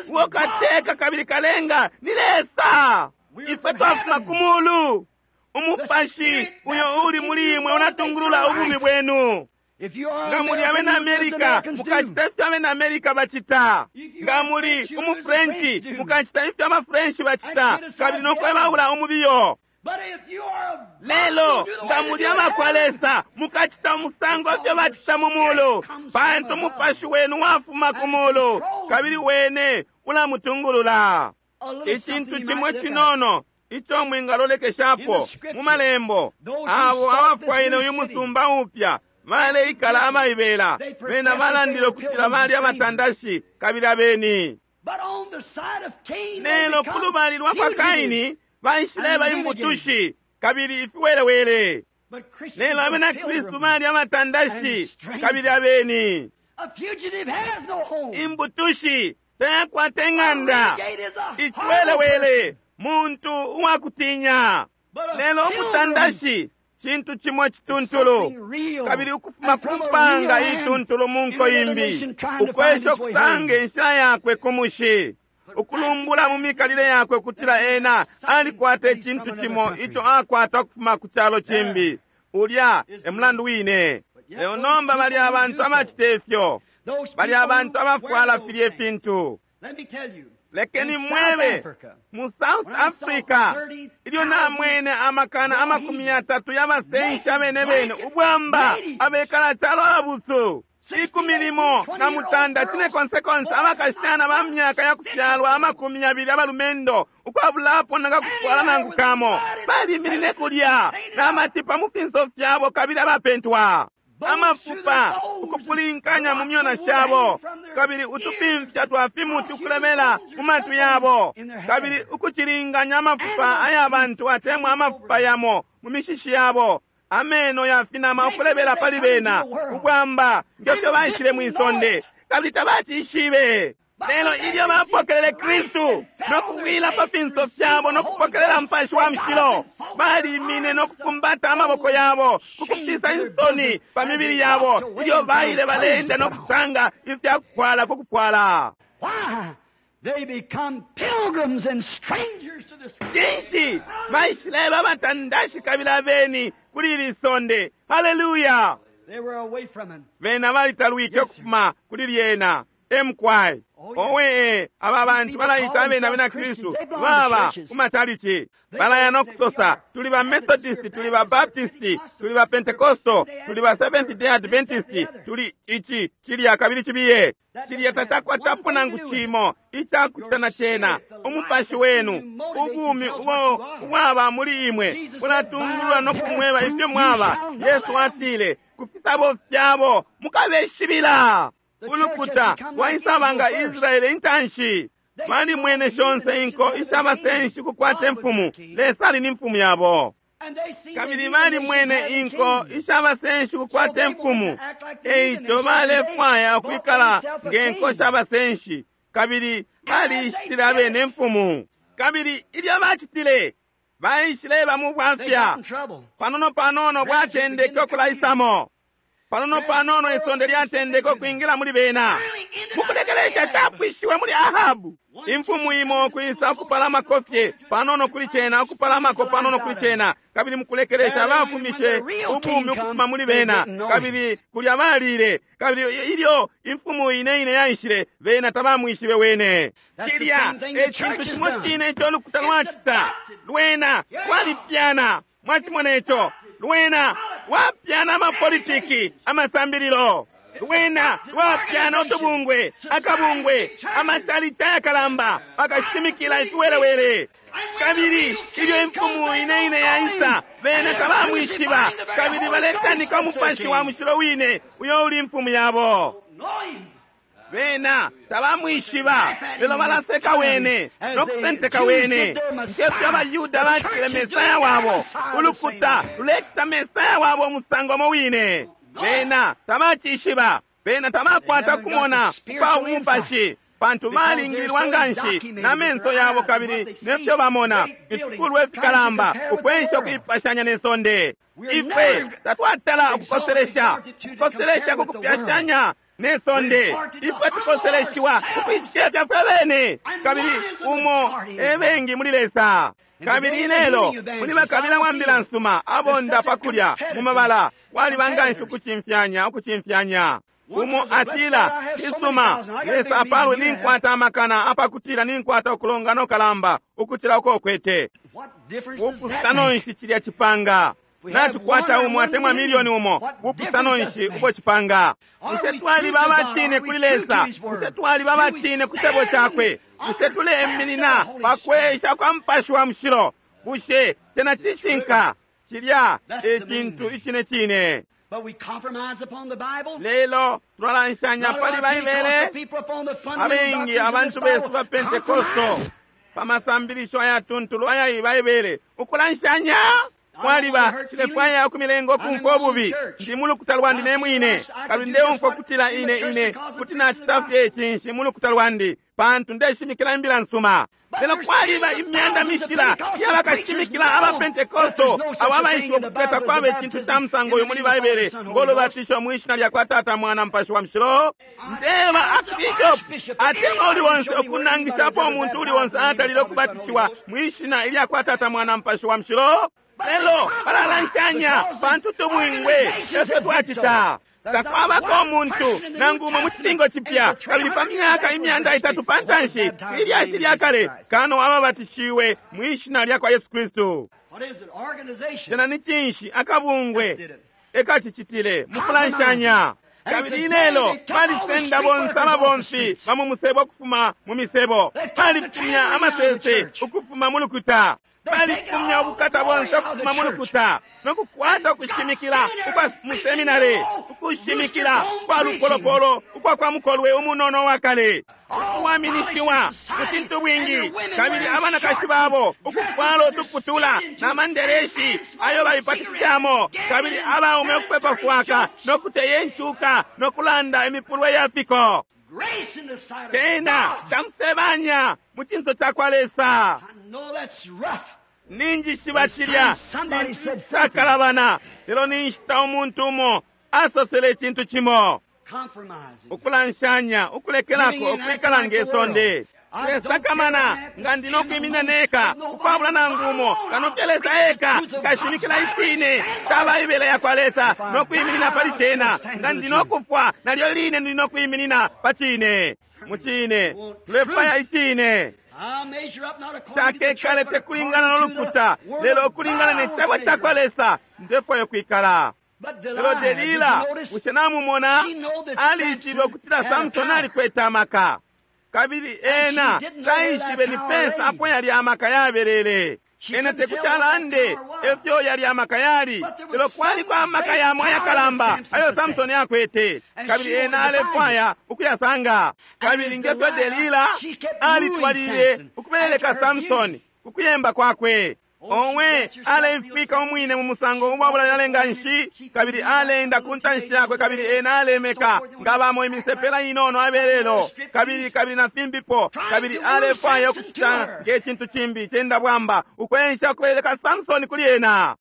Uwo kateka kabili kalenga ni Lesa. Ifwe twafuma ku mulu. Umupashi uyo uli muli imwe unatungulula ubumi bwenu. If you are Nga muli abena American, you do as Amerika, Americans do. mukacita ifyo abena Amerika bacita. Nga muli umuFrenchi, mukacita ifyo abaFrenchi bacita, kabili no kwebaula umubiyo. But if you are a Lelo you do the nga way they muli do in abakwa heaven. Lesa, mukacita umusango ifyo bacita mu mulu, pantu umupashi wenu wafuma ku mulu, kabili wene ulamutungulula. A little Icintu something you cimwe might look at. cinono ico mwingalolekeshapo mu malembo, abo abafwaile uyu musumba upya baleikala abaibela, bena balandile ukutila bali abatandashi kabili abeni. But on the side of Cain, they Lelo ku become lubali lwa kwa fugitives. Kaini baishileba imbutushi kabili ifiwelewele. But Christians Lelo are abena Kristu pilgrims. bali abatandashi kabili abeni. A fugitive has no home. Imbutushi tayakwata A ing'anda. renegade is a horrible Ichiwelewele person. muntu uwakutinya. But a Lelo pilgrim umutandashi cintu cimo is cituntulu, something real kabili ukufuma and ku from a mpanga real land ituntulu mu nko in another imbi, nation trying to find ukwesha its way ukusanga home. inshila yakwe ku mushi, ukulumbula mu mikalile yakwe kutila ena alikwata icintu cimo ico akwata ukufuma ku calo cimbi. Ulya e mulandu wine. Lelo nomba bali abantu abacita ifyo, Those bali people abantu who wear abafwala those filya things. ifintu. Let me tell you, Lekeni in South mwebe Africa, mu South when I saw Africa ilyo namwene amakana amakumi yatatu y'abasenshi abene bene ubwamba abekala calo abusu ikumi limo na mutanda cine konsekonse abakashana ba myaka ya kufyalwa amakumi yabili abalumendo ukwabulapo nangakufwala nangu kamo baliminine kulya n'amatipa mu finso fyabo kabili abapentwa amafupa ukupulinkanya mu myona shabo kabili utupimfya twa fimuti ukulemela mu matwi yabo kabili ukucilinganya amafupa aya bantu atemwa amafupa yamo mu mishishi yabo ameno yafinama ukulebela pali bena ubwamba ngefyo baishile mwisonde kabili tabacishibe. Lelo ilyo bapokelele Kristu no kuwila pa finso fyabo no kupokelela Mupashi wa Mushilo, balimine no kufumbata amaboko yabo kukufisa insoni pa mibili yabo ilyo baile baleenda no kusanga ifyakufwala kukufwala. Why? They become pilgrims and strangers to this Cinshi baishileba abatandashi kabili abeni kuli ili sonde? Haleluya! They were away from it. Bena balitalwike ukufuma kuli lyena. Emkwai owe aba bantu balayita abena abena Kristu baba ku matalichi balaya no kusosa tuli ba Methodist, tuli ba Baptist, tuli ba Pentecostal, tuli ba Seventh Day Adventist, tuli ichi chilya kabili chibiye chilya tachakwatapo nangu chimo ichakuchita na chena. Umupashi wenu ubumi ubo ubwaba muli imwe ulatungulula no kumweba ifyo mwaba. Yesu atile kufisabo fyabo mukabeshibila. Ulukuta waisaba nga Israeli intanshi. Balimwene shonse inko ishabasenshi kukwata imfumu, Lesa ali ni mfumu yabo. Kabili balimwene inko ishabasenshi kukwata imfumu, eico balefwaya ukwikala nge nko shabasenshi, kabili balishitile abene imfumu. Kabili ilyo bacitile, baishileba mu bwafya. Panono panono bwatendeke ukulaisamo. Panono panono isonde lyatendeke ukwingila muli bena. Mukulekelesha capwishiwe muli Ahabu. Imfumu imo kwisa ukupalamako fye panono kuli cena, ukupalamako panono kuli cena, kabili mukulekelesha bafumishe ubumi ukufuma muli bena, kabili kulya balile. Kabili ilyo imfumu ine ine yaishile, bena tabamwishibe wene. Cilya e cintu cimo cine ico ulukuta lwacita. Lwena lwalipyana. Mwachimona ico? Lwena lwapyana amapolitiki, amasambililo. Lwena lwapyana utubungwe, akabungwe, amatalica yakalamba, bakashimikila ifiwelewele. Kabili ilyo imfumu ine ine yaisa, bena tabamwishiba, kabili baletanika umupashi wa mushilo wine uyo uli imfumu yabo. Bena tabamwishiba, lelo balaseka wene nokusenteka wene. Ngefyo abaYuda bacitile Mesaya wabo, ulukuta lulecita Mesaya wabo umusango mo wine. Bena tabacishiba, bena tabakwata kumona kwa umupashi, pantu balingilwa nganshi na menso yabo kabili nefyo bamona ifikulwa ifikalamba ukwensha ukuipashanya ne sonde. Ifwe tatwatala ukukoselesha ukukoselesha kukupyashanya ne sonde. Ifwe tukoseleshiwa ukuicefya fwe bene, kabili umo ebengi muli Lesa. Kabili ilelo muli bakabila wa mbila nsuma abonda pakulya mu mabala waliba nganshi ukucimfyanya ukucimfyanya. Umo atila, isuma Lesa apalwe, ninkwata amakana apakutila ninkwata ukulongana ukalamba ukucila uko ukwete. Bupusano nshi cilya cipanga? Natukwata umo atemwa milioni umo, bupusano nshi ubo cipanga? Bushe twaliba abatine kuli Lesa? Bushe twaliba abatine ku cebo cakwe? Bushe tuleminina pakwesha kwa Mupashi wa Mushilo? Bushe cena cishinka? Cilya e cintu icine cine. Lelo tulalanshanya pali Baibele. Abengi abantu besu ba Pentekosto pamasambilisho ayatuntulu aya Baibele ukulanshanya kwaliba cilefwaya ukumilenga ukumfwa ububi. Ndi mu lukuta lwandi ne mwine, kabili ndeumfwa ukutila ine ine kuti nacita fye cinshi mu lukuta lwandi, pantu ndeshimikila imbila nsuma. Lelo kwaliba imyanda mishila yabakashimikila aba Pentekosto abo abaishiba ukuteta kwaba icintu ca musango uyu muli Baibele ngolubatisho mwishina lya kwa Tata, Mwana, Mupashi wa Mushilo. Ndeba Archbishop atemwa uli wonse ukunangishapo umuntu uli wonse atalile ukubatishiwa mwishina ilya kwa Tata, Mwana, Mupashi wa Mushilo. Lelo balalanshanya pantu tubwingwe efyo twacita. Takwabako umuntu nangu umo mu cilingo cipya, kabili pa myaka imyanda itatu pantanshi ilyashi lya kale kano ababatishiwe mwishina lya kwa Yesu Kristu. Cena ni cinshi? Akabungwe ekacicitile mukulanshanya. Kabili ilelo balisenda bonse ababomfi ba mu musebo ukufuma mu misebo, balifumya amasese ukufuma mu lukuta, balifumya ubukata bonse ukufuma mu lukuta, nokukwata ukushimikila ukwa mu seminari, ukushimikila kwa lupolopolo ukwa kwa mukolwe umunono wa kale uwaminishiwa mu cintu bwingi, kabili abanakashi babo ukufwala utuputula na mandereshi ayo baipatishamo, kabili abaume ukupepa fwaka nokuteya incuka nokulanda imipulwe ya fiko. Cena tamusebanya mu cinso ca kwa Lesa. Ninjishiba cilya cakalabana, lelo ninshita umuntu umo asosele icintu cimo. Ukulanshanya, ukulekelako ukwikala nge sonde. Ndesakamana nga ndi nokwimina neka ukwabula nangu umo kano fye Lesa eka nkashimikila icine ca Baibele ya kwa Lesa nokwiminina pali cena. Nga ndi nokufwa nalyo line ndi nokwiminina pa cine. Mu cine tulefwaya icine. Cakekale tekulingana nolukuta, lelo ukulingana ne cebo ca kwa Lesa ndefwaya ukwikala. Lelo Delila, bushe namumona? Alishibe ukutila Samson alikwete amaka, kabili ena taishibe ni pensa apo yali amaka yabelele. Ena tekuti alande efyo yali amaka yali, lelo kwaliko amaka yamo ayakalamba ayo Samsoni akwete, kabili ena alefwaya ukuyasanga. Kabili ngefyo Delila alitwalile ukubeleka Samsoni kukuyemba kwakwe. Owe aleifika umwine mu musango ubwabula nganshi, kabili alenda ku ntanshi yakwe, kabili ena alemeka ngabamo imisepela inono abelelo, kabili kabili na fimbipo, kabili alefwaya ukucita nge cintu cimbi cenda bwamba ukwensha kubeleka Samsoni kuli ena.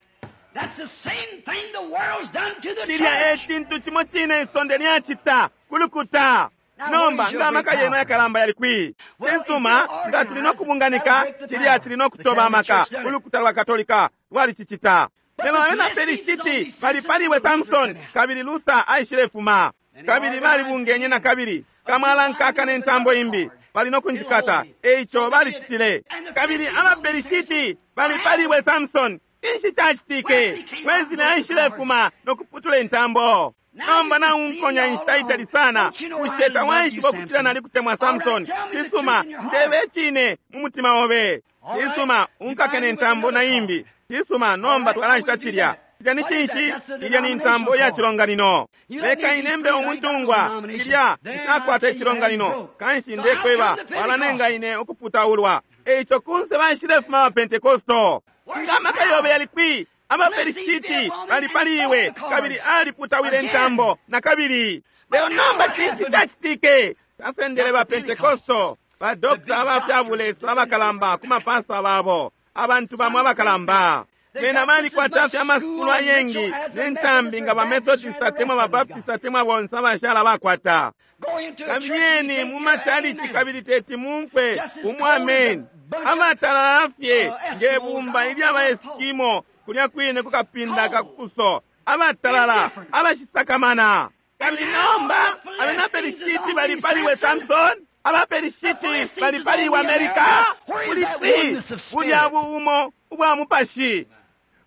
Cilya e cintu cimo cine isonde lyacita kulukuta. Nomba nga amaka yenu ayakalamba yali kwi? Cisuma, nga tuli nokubunganika, cilya cili nokutoba amaka. Ulukuta lwa Katolika lwalicicita. Lelo abena Pelishiti balipaliwe Samson, kabili Luther aishilefuma, kabili balibungenye na kabili kamwalankaka ne ntambo imbi bali nokunjikata. Eico balicitile. Kabili abaPelishiti balipaliwe Samson. Cinshi cacitike? Wesley aishilefuma nokuputula intambo. Nomba naunkonya inshita itali sana, bushe tawaishiba ukutila nalikutemwa Samson? Cisuma, ndebe cine mu mutima obe. Cisuma, unkake ne ntambo na imbi. Cisuma, nomba twalanshita cilya. Cilya ni cinshi? Ilya ni ntambo ya cilonganino. Leka inembe umuntungwa, cilya ncakwata icilonganino. Kanshi ndekweba, walanenga ine ukuputaulwa. Eico kunse baishilefuma abapentekosto. Nga amaka yobe yali kwi? Abaperishiti balipaliwe, kabili aliputawile intambo na kabili. Lelo nomba cinshi cacitike? Asendele ba Pentekosto, ba dokta abafyabulesa abakalamba ku mapasta babo, abantu bamwe abakalamba. Bena balikwata fye amasukulu ayengi ne ntambi nga ba Methodist atemwa ba Baptist atemwa bonse abashala bakwata. Kabiyeni mu macalici kabili teti mumpe umwameni. Abatalala fye nge bumba ilya ba Eskimo kulya kwine kukapinda kakuso, abatalala abashisakamana. Kabili nomba abena Pelishiti balipaliwe Samson, abaPelishiti balipaliwe Amerika. Buli kwi bulya buumo ubwa mupashi?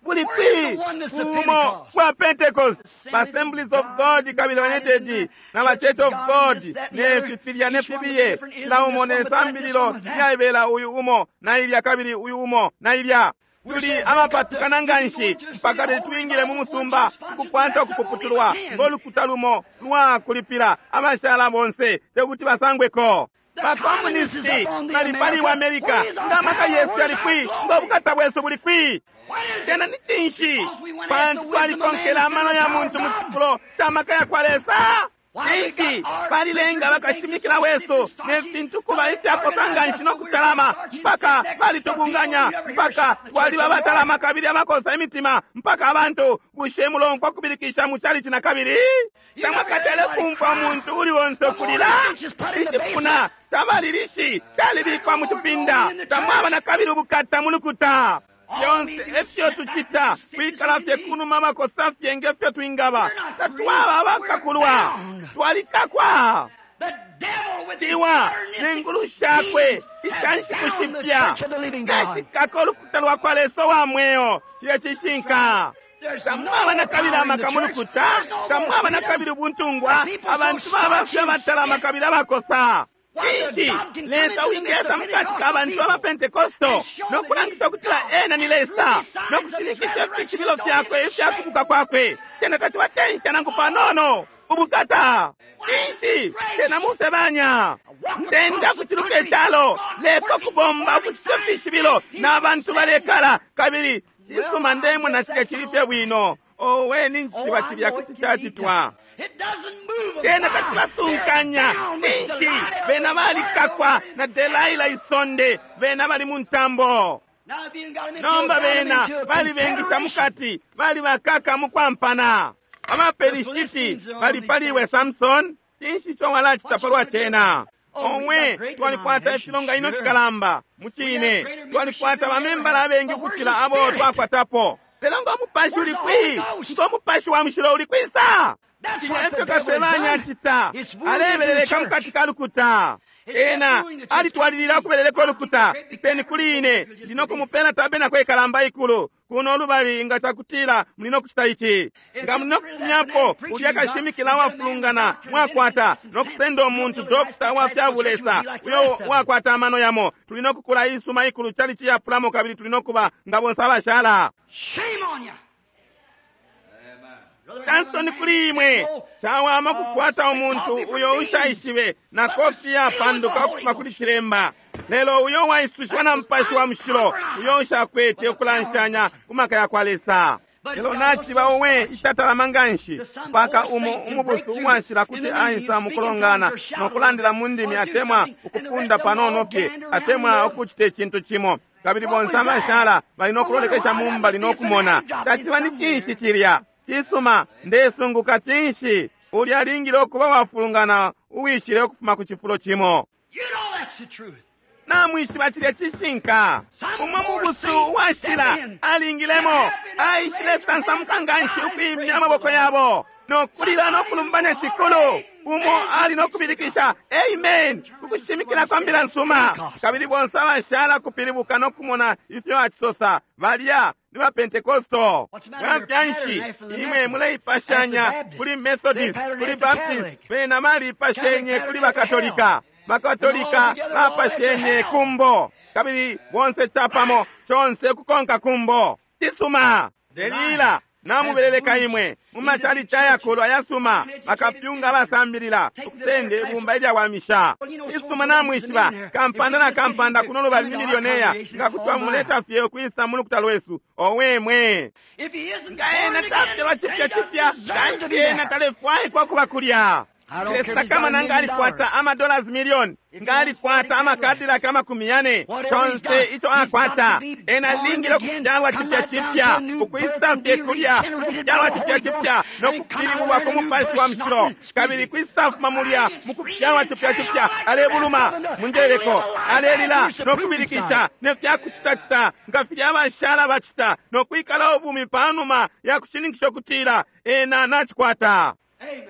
Buli kwi buumo bwa Pentecost? Ba Assemblies of God kabili United na ba Church of God ne fifilya ne fibiye, kila umo ne sambililo lyaibela, uyu umo na ilya kabili uyu umo na ilya. Tuli abapatukana nganshi mpaka tetwingile mu musumba ukukwata ukupuputulwa ngolukuta lumo lwa kulipila abashala bonse tekuti basangweko. Bakomunisti balipaliwe Amerika. Nga amaka yesu yali kwi? Nga ubukata bwesu buli kwi? Cena ni cinshi? Pantu twalikonkela amano ya muntu mu cifulo ca maka ya kwa Lesa. Cinshi balilenga bakashimikila wesu ne fintu kuba ifyakosa nganshi nokutalama mpaka balitubunganya mpaka twaliba batalama kabili abakosa imitima mpaka abantu bushe mulomfwa kubilikisha mu chalichi na kabili. Tamwakatele kumfwa umuntu uli onse ukulila. Icipuna tabalilishi calibikwa mu cipinda. Tamwaba na kabili ubukata mu lukuta. Fyonse efyo tucita kwikala fye kunuma makosa fye ngefyo twingaba. Tatwaba abakakulwa, twalikakwa. Tiwa nengulu shakwe ishanshiku shipya nashikako ulukuta lwa kwa Lesa wa mweo. Cilya cishinka. Tamwaba na kabili amaka mu lukuta, tamwaba na kabili ubuntungwa. Abantu baba fye abatalama kabili abakosa. Cinshi Lesa wingesa mukati ka bantu abapentekosto nokulangisha ukutila ena ni Lesa nokushinikisha ifishibilo fyakwe ifyakubuka kwakwe. Cena tacibatensha nangu panono ubukata. Cinshi cena musebanya ntenda kuciluka icalo leko kubomba ukucita ifishibilo na bantu balekala kabili cisuma ndemona cilya cili fye bwino. Owe ninjishiba cilya kuti cacitwa. Cena tacibasunkanya. Cinshi bena balikakwa na Delaila isonde, bena bali mu ntambo. Nomba bena balibengisha mukati, bali bakaka mukwampana. Abaperishiti balipaliwe Samson. Cinshi ico walacita palwa cena? Omwe twalikwata ifilonganino fikalamba mucine, twalikwata bamembala abengi ukucila abo twakwatapo. Lelo ngo mupashi uli kwi? Ngo mupashi wa mushilo uli kwisa? Cilya efyo kasebanya acita, alebeleleka mukati ka lukuta. Ena alitwalilila ukubeleleka ulukuta. Iseni kuli ine, ndi nokumupela tabenako ikalamba ikulu kuno lubali nga cakutila muli nokucita ici. Nga muli nokufumyapo ulya kashimikila wafulungana mwakwata nokusenda umuntu dokta wa fyabulesa uyo wakwata amano yamo, tuli nokukula isuma ikulu chali chiyapulamo kabili tuli nokuba nga bonse abashala. Shame on you. Tansoni kuli imwe, chawama kukwata umuntu uyo ushaishibe na kofi yapanduka ukufuma kuli chilemba. Lelo uyo waisushiwa na Mupashi wa Mushilo, uyo ushakwete ukulanshanya ku maka ya kwa Lesa. Lelo naciba uwe itatalama nganshi mpaka umo umubusu uwashila kuti aisa mukulongana nokulandila mu ndimi atemwa ukufunda panono fye atemwa ukucita icintu cimo, kabili bonse abashala bali nokulolekesha mumbali nokumona. Taciba ni cinshi cilya? Cisuma, ndesunguka cinshi ulya alingile ukuba wafulungana uwishile ukufuma ku cifulo cimo. You know that's the truth. Namwishiba cilya cishinka. Umo mubusu uwashila alingilemo, aishile sansamuka nganshi ukwimya amaboko yabo nokulila nokulumbanya Shikulu. Umo ali nokubilikisha amen ukushimikila kwa mbila nsuma, kabili bonse abashala kupilibuka nokumona ifyo acisosa. Balya ni ba Pentekosto. Bwafya nshi imwe muleipashanya kuli Methodist, kuli Baptist, bena baliipashenye kuli Bakatolika, Bakatolika bapashenye kumbo, kabili bonse capamo conse kukonka kumbo. Cisuma. Delila namubeleleka imwe mu machalichi ayakulu ayasuma, bakapyunga abasambilila ukusende ibumba ilyawamisha. Cisuma, namwishiba kampanda na kampanda kuno lubali ni milioneya, nga kuti wamuleta fye ukwisa mu lukuta lwesu. Owemwe If he isn't nga ena born again, tafyalwa then cipya he doesn't cipya, deserve to kanshi be ena there. talefwaikwa kuba kulya. I don't care if he's got a Sakamana nga million alikwata dollars. amadollars million, nga alikwata amakadilaka amakumi yane, Whatever he's chonse got, icho he's got akwata, to be ena born alingile again, ukufyalwa come cipya right down cipya, to a new birth ukwisa and fye be kulya, regenerated by ukufyalwa the cipya Holy cipya, Ghost, no and come out kupilibulwa of ku there a new Mupashi wa birth, Mushilo, snotting, kabili screaming. kwisafuma mulya mu kufyalwa cipya cipya, alebuluma munjeleko, alelila nokubilikisha nefyakucitacita nga filya abashala bacita, nokwikala ubumi panuma ya kushininkisha ukutila ena nacikwata. Amen.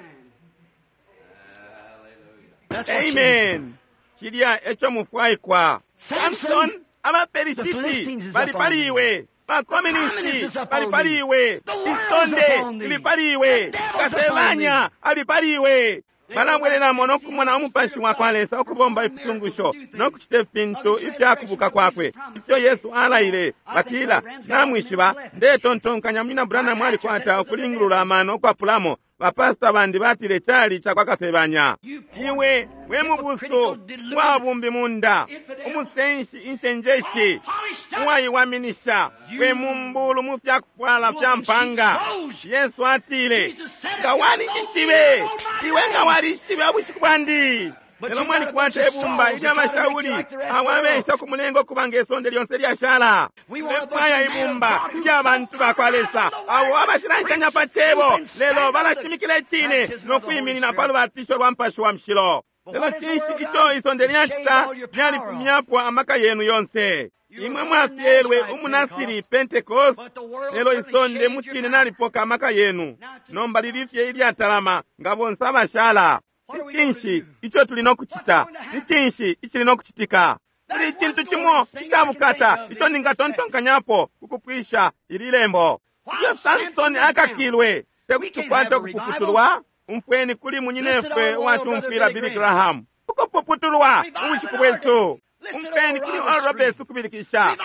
That's what you need. Amen. Cilya eco mufwaikwa. Samson, Samson, the abaperishiti Philistines is bali up on pali thee. iwe, bakomunisti Communists is up bali on pali thee. iwe, The world's isonde upon thee. lili pali iwe, The devil's kasebanya upon ali pali iwe. Balabwelelamo nokumona umupashi wa kwa Lesa ukubomba ifisungusho nokucita ifintu ifyakubuka kwakwe ifyo Yesu alaile. Batila, namwishiba, ndetontonkanya munyina Branham alikwata ukulingulula amano ukwapulamo. Bapasta bandi batile cali cakwa kasebanya. Iwe we mubusu wa bumbi munda, umusenshi incenjeshi, uwaiwaminisha, we mumbulu mu fyakufwala fya mpanga. Yesu atile, nga walishibe, iwe nga walishibe ubushiku bwandi. Lelo mwalikwata ibumba ilyamashauli awabesha kumulenga okuba ngesonde lyonse lyashala. Lefwaya ibumba ilyabantu bakwa Lesa abo abashilanshanya pa cebo, lelo balashimikila icine nokwiminina pa lubatisho lwa Mupashi wa Mushilo. Lelo cinshi ico isonde lyacita? Lyalifumyapo amaka yenu yonse. Imwe mwafyelwe umunasiri Pentecost, lelo isonde mucine nalipoka amaka yenu. Nomba lilifye ilyatalama nga bonse abashala. Ni cinshi ico tuli nokucita? Ni cinshi icili nokucitika? Kuli icintu cimo icabukata ico ningatontonkanyapo kukupwisha ili lembo. Ilyo Samsoni akakilwe, tekuti tukwate ukupuputulwa. Umfweni kuli munyinefwe uwatumfwila Billy Graham, ukupuputulwa mu bushiku bwesu. Umfweni kuli Oral Roberts ukubilikisha,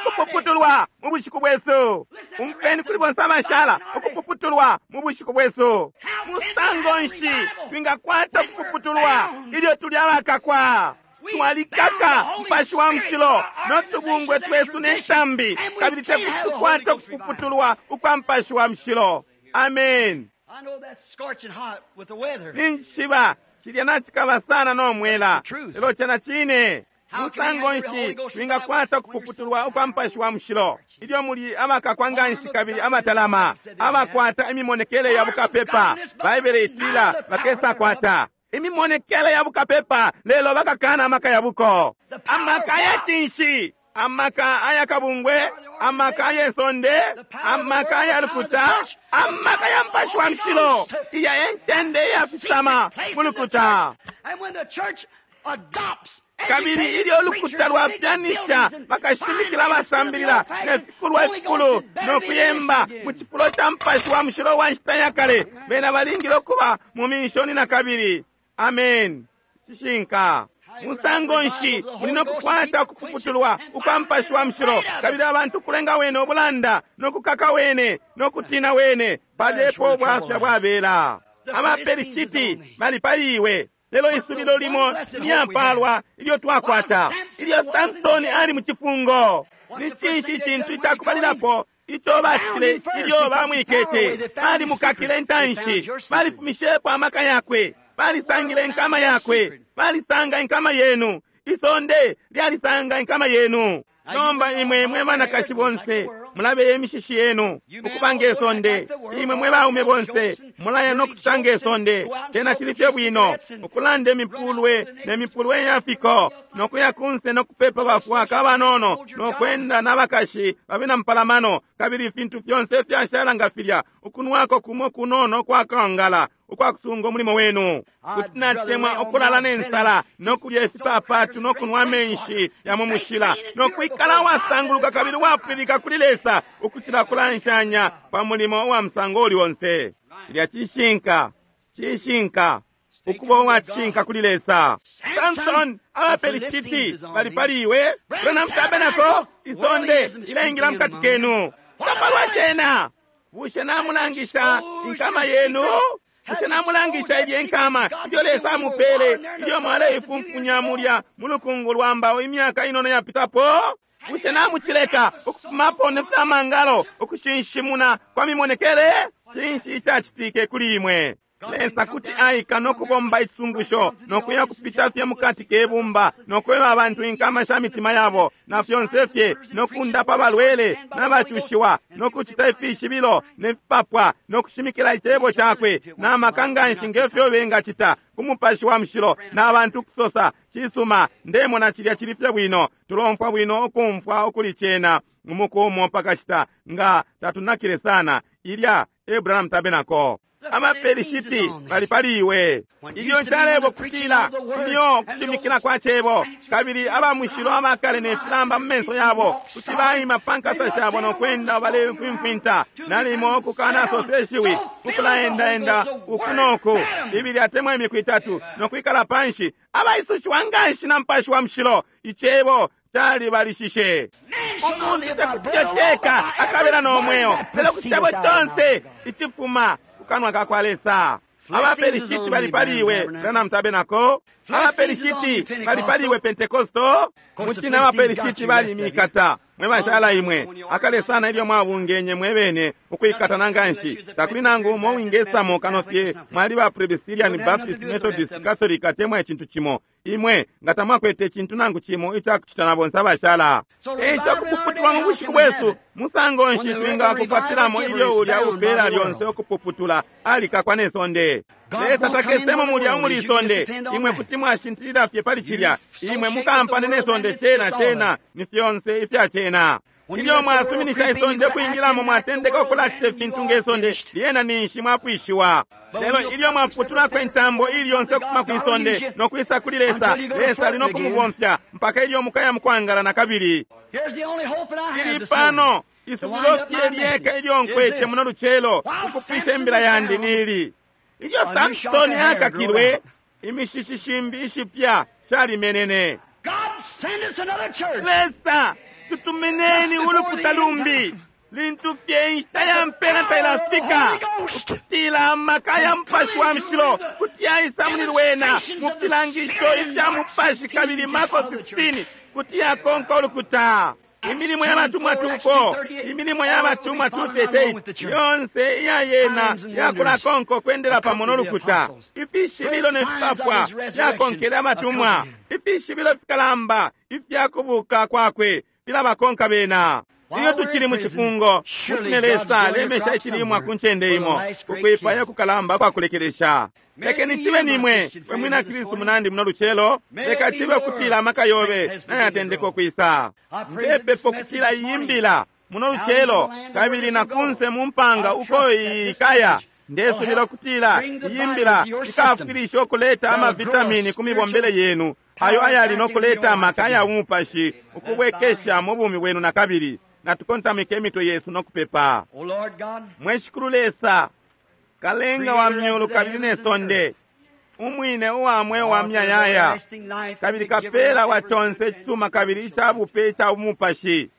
ukupuputulwa mu bushiku bwesu. Umfweni kuli bonse abashala, ukupuputulwa mu bushiku bwesu. Musango nshi twingakwata ukupuputulwa ilyo tuli abakakwa? Twalikaka Mupashi wa Mushilo notubungwe twesu nentambi, kabili tekuti tukwate ukupuputulwa ukwa Mupashi wa Mushilo. Amen. I know that's scorching hot with the weather. Ninjishiba cilya nacikaba sana nomwela, lelo cena cine. Musango nshi twingakwata ukupuputulwa ukwa Mupashi wa Mushilo ilyo muli abakakwa nganshi kabili abatalama, abakwata imimonekele ya bukapepa? Baibele itila bakesakwata imimonekele ya bukapepa, lelo bakakana amaka ya buko. Amaka ya cinshi? Amaka ayakabungwe, amaka ayesonde, amaka ayalukuta, amaka ya Mupashi wa Mushilo, iya encende iyafisama mulukuta. Kabili ilyo ulukuta lwapyanisha bakashimikila abasambilila ne fikulwa ifikulu no kuyemba mu cifulo ca Mupashi wa Mushilo wa nshita ya kale, bena balingile ukuba mu minshoni na kabili. Amen. Cishinka. Musango nshi muli no kukwata ukupuputulwa ukwa Mupashi wa Mushilo, kabili abantu kulenga wene ubulanda no kukaka wene no kutina wene, palepo ubwafya bwabela. Abaperishiti bali pali iwe, lelo isubilo limo lyampalwa ilyo twakwata. Ilyo Samsoni ali mu cifungo, ni cinshi icintu icakubalilapo ico bacitile ilyo bamwikete? Balimukakile intanshi, balifumishepo amaka yakwe, balisangile inkama yakwe, balisanga inkama yenu, isonde lyalisanga inkama yenu. Nomba imwe mwe banakashi bonse mulabeye imishishi yenu ukupanga isonde, imwe mwe baume bonse mulaya no kucitanga isonde. Cena cili fye bwino ukulanda imipulwe ne mipulwe yafiko no kuya kunse no kupepa bafwaka abanono no kwenda n'abakashi babena mpalamano, kabili ifintu fyonse fyashala nga filya, ukunwako kumo kunono kwakangala ukwakusunga umulimo wenu. Kuti natemwa ukulala nensala no kulya ifipapatu no kunwa amenshi ya mu mushila no kwikala wasanguluka kabili wapwilika kuli Lesa ukucila kulanshanya pa mulimo wa musango uli onse. Ilya cishinka, cishinka ukuba uwacishinka kuli Lesa. Samson, abaperishiti bali pali iwe, Branham Tabernacle isonde ilengila mukati kenu. Tapalwa cena. Bushe namulangisha inkama yenu? Bushe namulangisha ilye nkama ilyo Lesa amupele ilyo mwaleifunfunya mulya mu lukungu lwa mbao imyaka inono yapitapo? Bushe namucileka ukufumapo ne fyamangalo ukushinshimuna kwa mimonekele? Cinshi icacitike kuli imwe? Lesa kuti aika no kubomba icisungusho no kuya kupita fye mukati kebumba no kweba abantu inkama sha mitima yabo na fyonse fye no kundapa balwele n'abacushiwa no kucita ifishibilo ne fipapwa no kushimikila icebo cakwe na maka nganshi ngefyo bengacita ku Mupashi wa Mushilo n'abantu kusosa, cisuma, ndemona cilya cili fye bwino, tulomfwa bwino ukumfwa ukuli cena umuku umo pakashita nga tatunakile sana. Ilya Abraham Tabernacle. Abaperishiti bali pali iwe. Ilyo nshalebo kutila ilyo kushimikila kwa cebo, kabili abamushilo abakale ne filamba mu menso yabo kuti baima pa nkasa shabo no kwenda balefimfinta, nalimo ukukanasosa ishiwi, ukulaendaenda uku noku ibili atemwa imiku itatu no kwikala panshi, abaisushiwa nganshi na Mupashi wa Mushilo. Icebo calibalishishe. Umuntu tekuti akabela no mweo, lelo ku cebo conse icifuma kukanwa ka kwa Lesa. Abaperishiti bali pali iwe, Branham Tabernacle. Abaperishiti bali pali iwe, Pentecosto. Muchina abaperishiti bali mikata mwe bashala imwe akale sana ilyo mwabungenye mwe bene ukwikatana nganshi. Takuli nangu umo wingesamo kano fye mwali ba Presbyterian, Baptist, Methodist, Catholic atemwa icintu cimo. Imwe nga tamwakwete icintu nangu cimo icakucita na bonse abashala. Eico kupuputulwa mu bushiku bwesu musango nshi twingakukwatilamo ilyo ulya upela lyonse ukupuputula alikakwa ne sonde. Lesa takesemo mulya umuli isonde. Imwe kuti mwashintilila fye pali cilya. Imwe mukampane ne sonde cena cena ni fyonse ifya cena. Ilyo mwasuminisha isonde kwingilamo mwatendeka ukulacita ifintu nge sonde, lyena ninshi mwapwishiwa. Lelo ilyo mwaputulako intambo ili yonse ukufuma ku isonde no kwisa kuli Lesa, Lesa ali no kumubomfya mpaka ilyo mukaya mukwangala na kabili. Ili pano isubilo fye lyeka ilyo nkwete muno lucelo ukupwisha imbila yandi nili. Ilyo Samsoni akakilwe, imishishi shimbi ishipya shalimenene. Lesa tutumineni ulukuta lumbi lintu fye inshita ya mpela tailafika ukutila amaka ya Mupashi wa Mushilo kuti yaisa muli lwena mu filangisho ifya Mupashi, kabili Marko fifteen kuti yakonka ulukuta. Imilimo y'abatumwa two four, imilimo y'abatumwa two thirty-eight, yonse iya yena yakulakonka okwendela pamo n'olukuta. Ifishibilo ne fipapwa fyakonkele abatumwa, ifishibilo fikalamba ifyakubuka kwakwe filabakonka bena. Ilyo tukili mu cifungo, mutine Lesa alemesha icilimwa ku ncende imo, kukwipaya kukalamba kwakulekelesha. Lekeni cibe nimwe, we mwina Kristu munandi muno lucelo, leka cibe kutila amaka yobe nayatendeka ukwisa. Ndepepo kutila iyimbila muno lucelo, kabili na kunse mu mpanga uko ikaya. Ndesubila kutila iyimbila ikafwilisha ukuleta amavitamini ku mibombele yenu, ayo ayali nokuleta amaka ya umupashi ukubwekesha mu bumi bwenu na kabili. Natukontamike emitwe yesu nokupepa. Mwe Shikulu Lesa, kalenga wa myulu kabili ne sonde, umwine uwa mweo wa myayaya, kabili kapela wa conse icisuma kabili icabupe ica umupashi,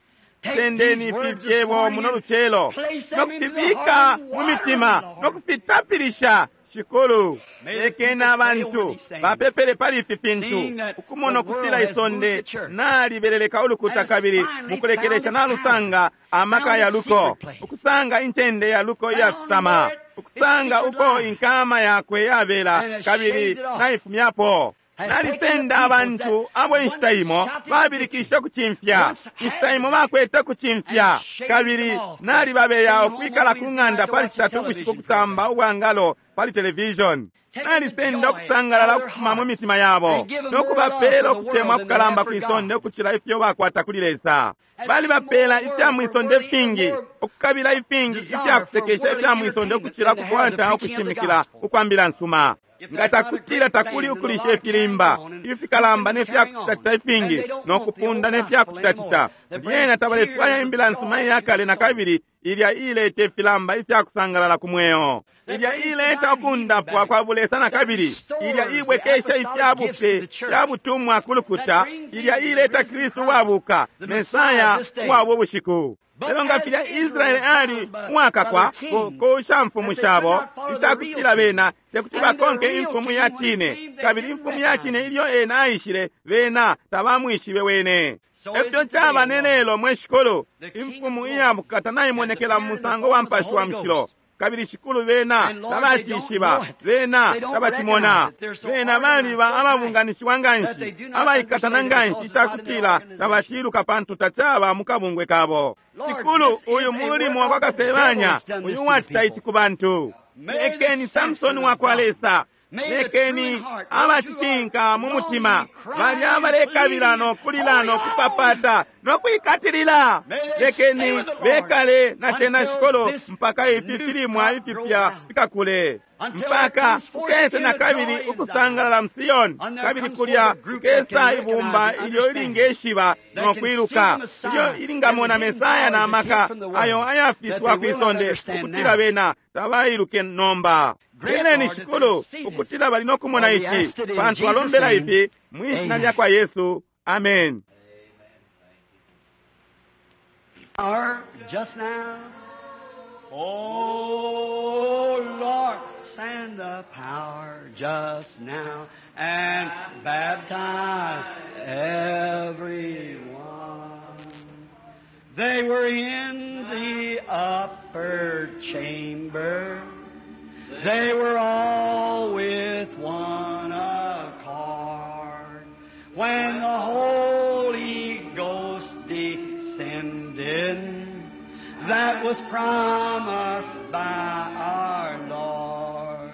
sendeni ifi fyebo muno lucelo nokufibika mu mitima nokufitapilisha. Shikulu, lekeni abantu bapepele pali ifi fintu, ukumona ukutila isonde nalibeleleka ulukuta kabili mukulekelesha nalusanga amaka ya luko, ukusanga incende ya luko iyafisama, ukusanga uko inkama yakwe yabela kabili naifumyapo. Nalisenda abantu abo inshita imo babilikisha kucimfya, inshita imo bakwete kucimfya, kabili nalibabeya ukwikala ku ng'anda pali citatu ubushiku kutamba ubwangalo pali television. Nalisenda ukusangalala ukufuma mu mitima yabo nokubapela ukutemwa kukalamba kwisonde ukucila ifyo bakwata kuli Lesa. Balibapela ifya mwisonde ifingi, ukukabila ifingi ifya kusekesha ifya mwisonde ukucila kukwata ukushimikila ukwambila nsuma. Nga takutila takuli ukulisha ifilimba ifikalamba nefyakucitacita ifingi nokupunda nefyakucitacita, lyena tabalefwaya imbila nsuma iyakale na kabili ilya ileta ifilamba ifyakusangalala ku mweo, ilya ileta ukundapwa kwa bulesa na kabili, ilya ibwekesha ifyabupe fyabutumwa ku lukuta, ilya ileta Kristu uwabuka, Mesaya uwabo ubushiku. Lelo nga filya Israeli ali uwakakwa ku shamfumu shabo, itakutila bena tekuti bakonke imfumu ya cine, kabili imfumu ya cine ilyo ena aishile bena tabamwishibe wene. Efyo caba ne lelo, mwe Shikulu, imfumu iyabukata naimonekela mu musango wa Mupashi wa Mushilo, kabili Shikulu bena tabacishiba, bena tabacimona. Bena baliba ababunganishiwa nganshi, abaikatana nganshi itakutila tabaciluka pantu tacaba mu kabungwe kabo. Shikulu, uyu mulimo wa kwa Kasebanya, uyu wacita ici ku bantu. Lekeni Samsoni wa kwa Lesa, lekeni abacishinka mu mutima balya balekabila nokulila nokupapata nokwikatilila, lekeni bekale na cena Shikulu mpaka ifi filimwa ifipya fikakule, mpaka kukese na kabili ukusangalala mu Siyoni, kabili kulya kukesa ibumba ilyo ilingeshiba nokwiluka, ilyo ilingamona Mesaya na maka ayo ayafiswa kwisonde, ukutila bena tabailuke nomba. Peleni Shikulu ukutila bali nokumona ici, pantu alombela ifi mwishina lya kwa Yesu. Amen. Just now, oh Lord, send the power just now and baptize everyone. They were in the upper chamber. They were all with one accord. When the Holy Ghost descended, that was promised by our Lord.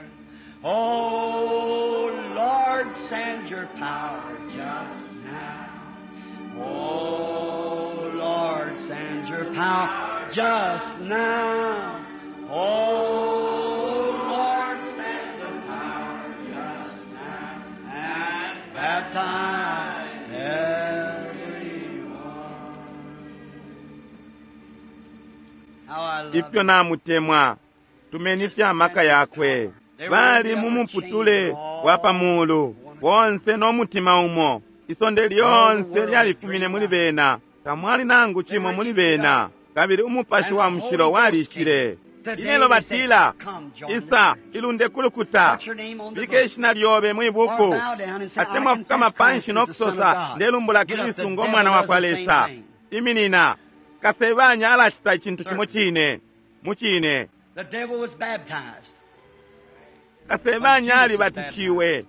Oh, Lord, send your power just now. Oh, Lord, send your power just now. Oh, Lord, send the power just now and baptize everyone. How I love Ifyo namutemwa, tumeni fya amaka yakwe. Bali mu muputule wa pamulu bonse n'omutima umo, isonde lyonse lyalifumine muli bena, tamwali nangu cimo muli bena, kabili umupashi wa mushilo walishile. Ilelo batila, isa ilunde kulukuta, bike ishina lyobe mwibuku, atemwa fukama panshi nokusosa, ndelumbula Kristu ng'omwana wa kwa Lesa. Iminina, Kasebanya alacita icintu cimo cine, mu cine. The devil was baptized. Kasebanya alibatishiwe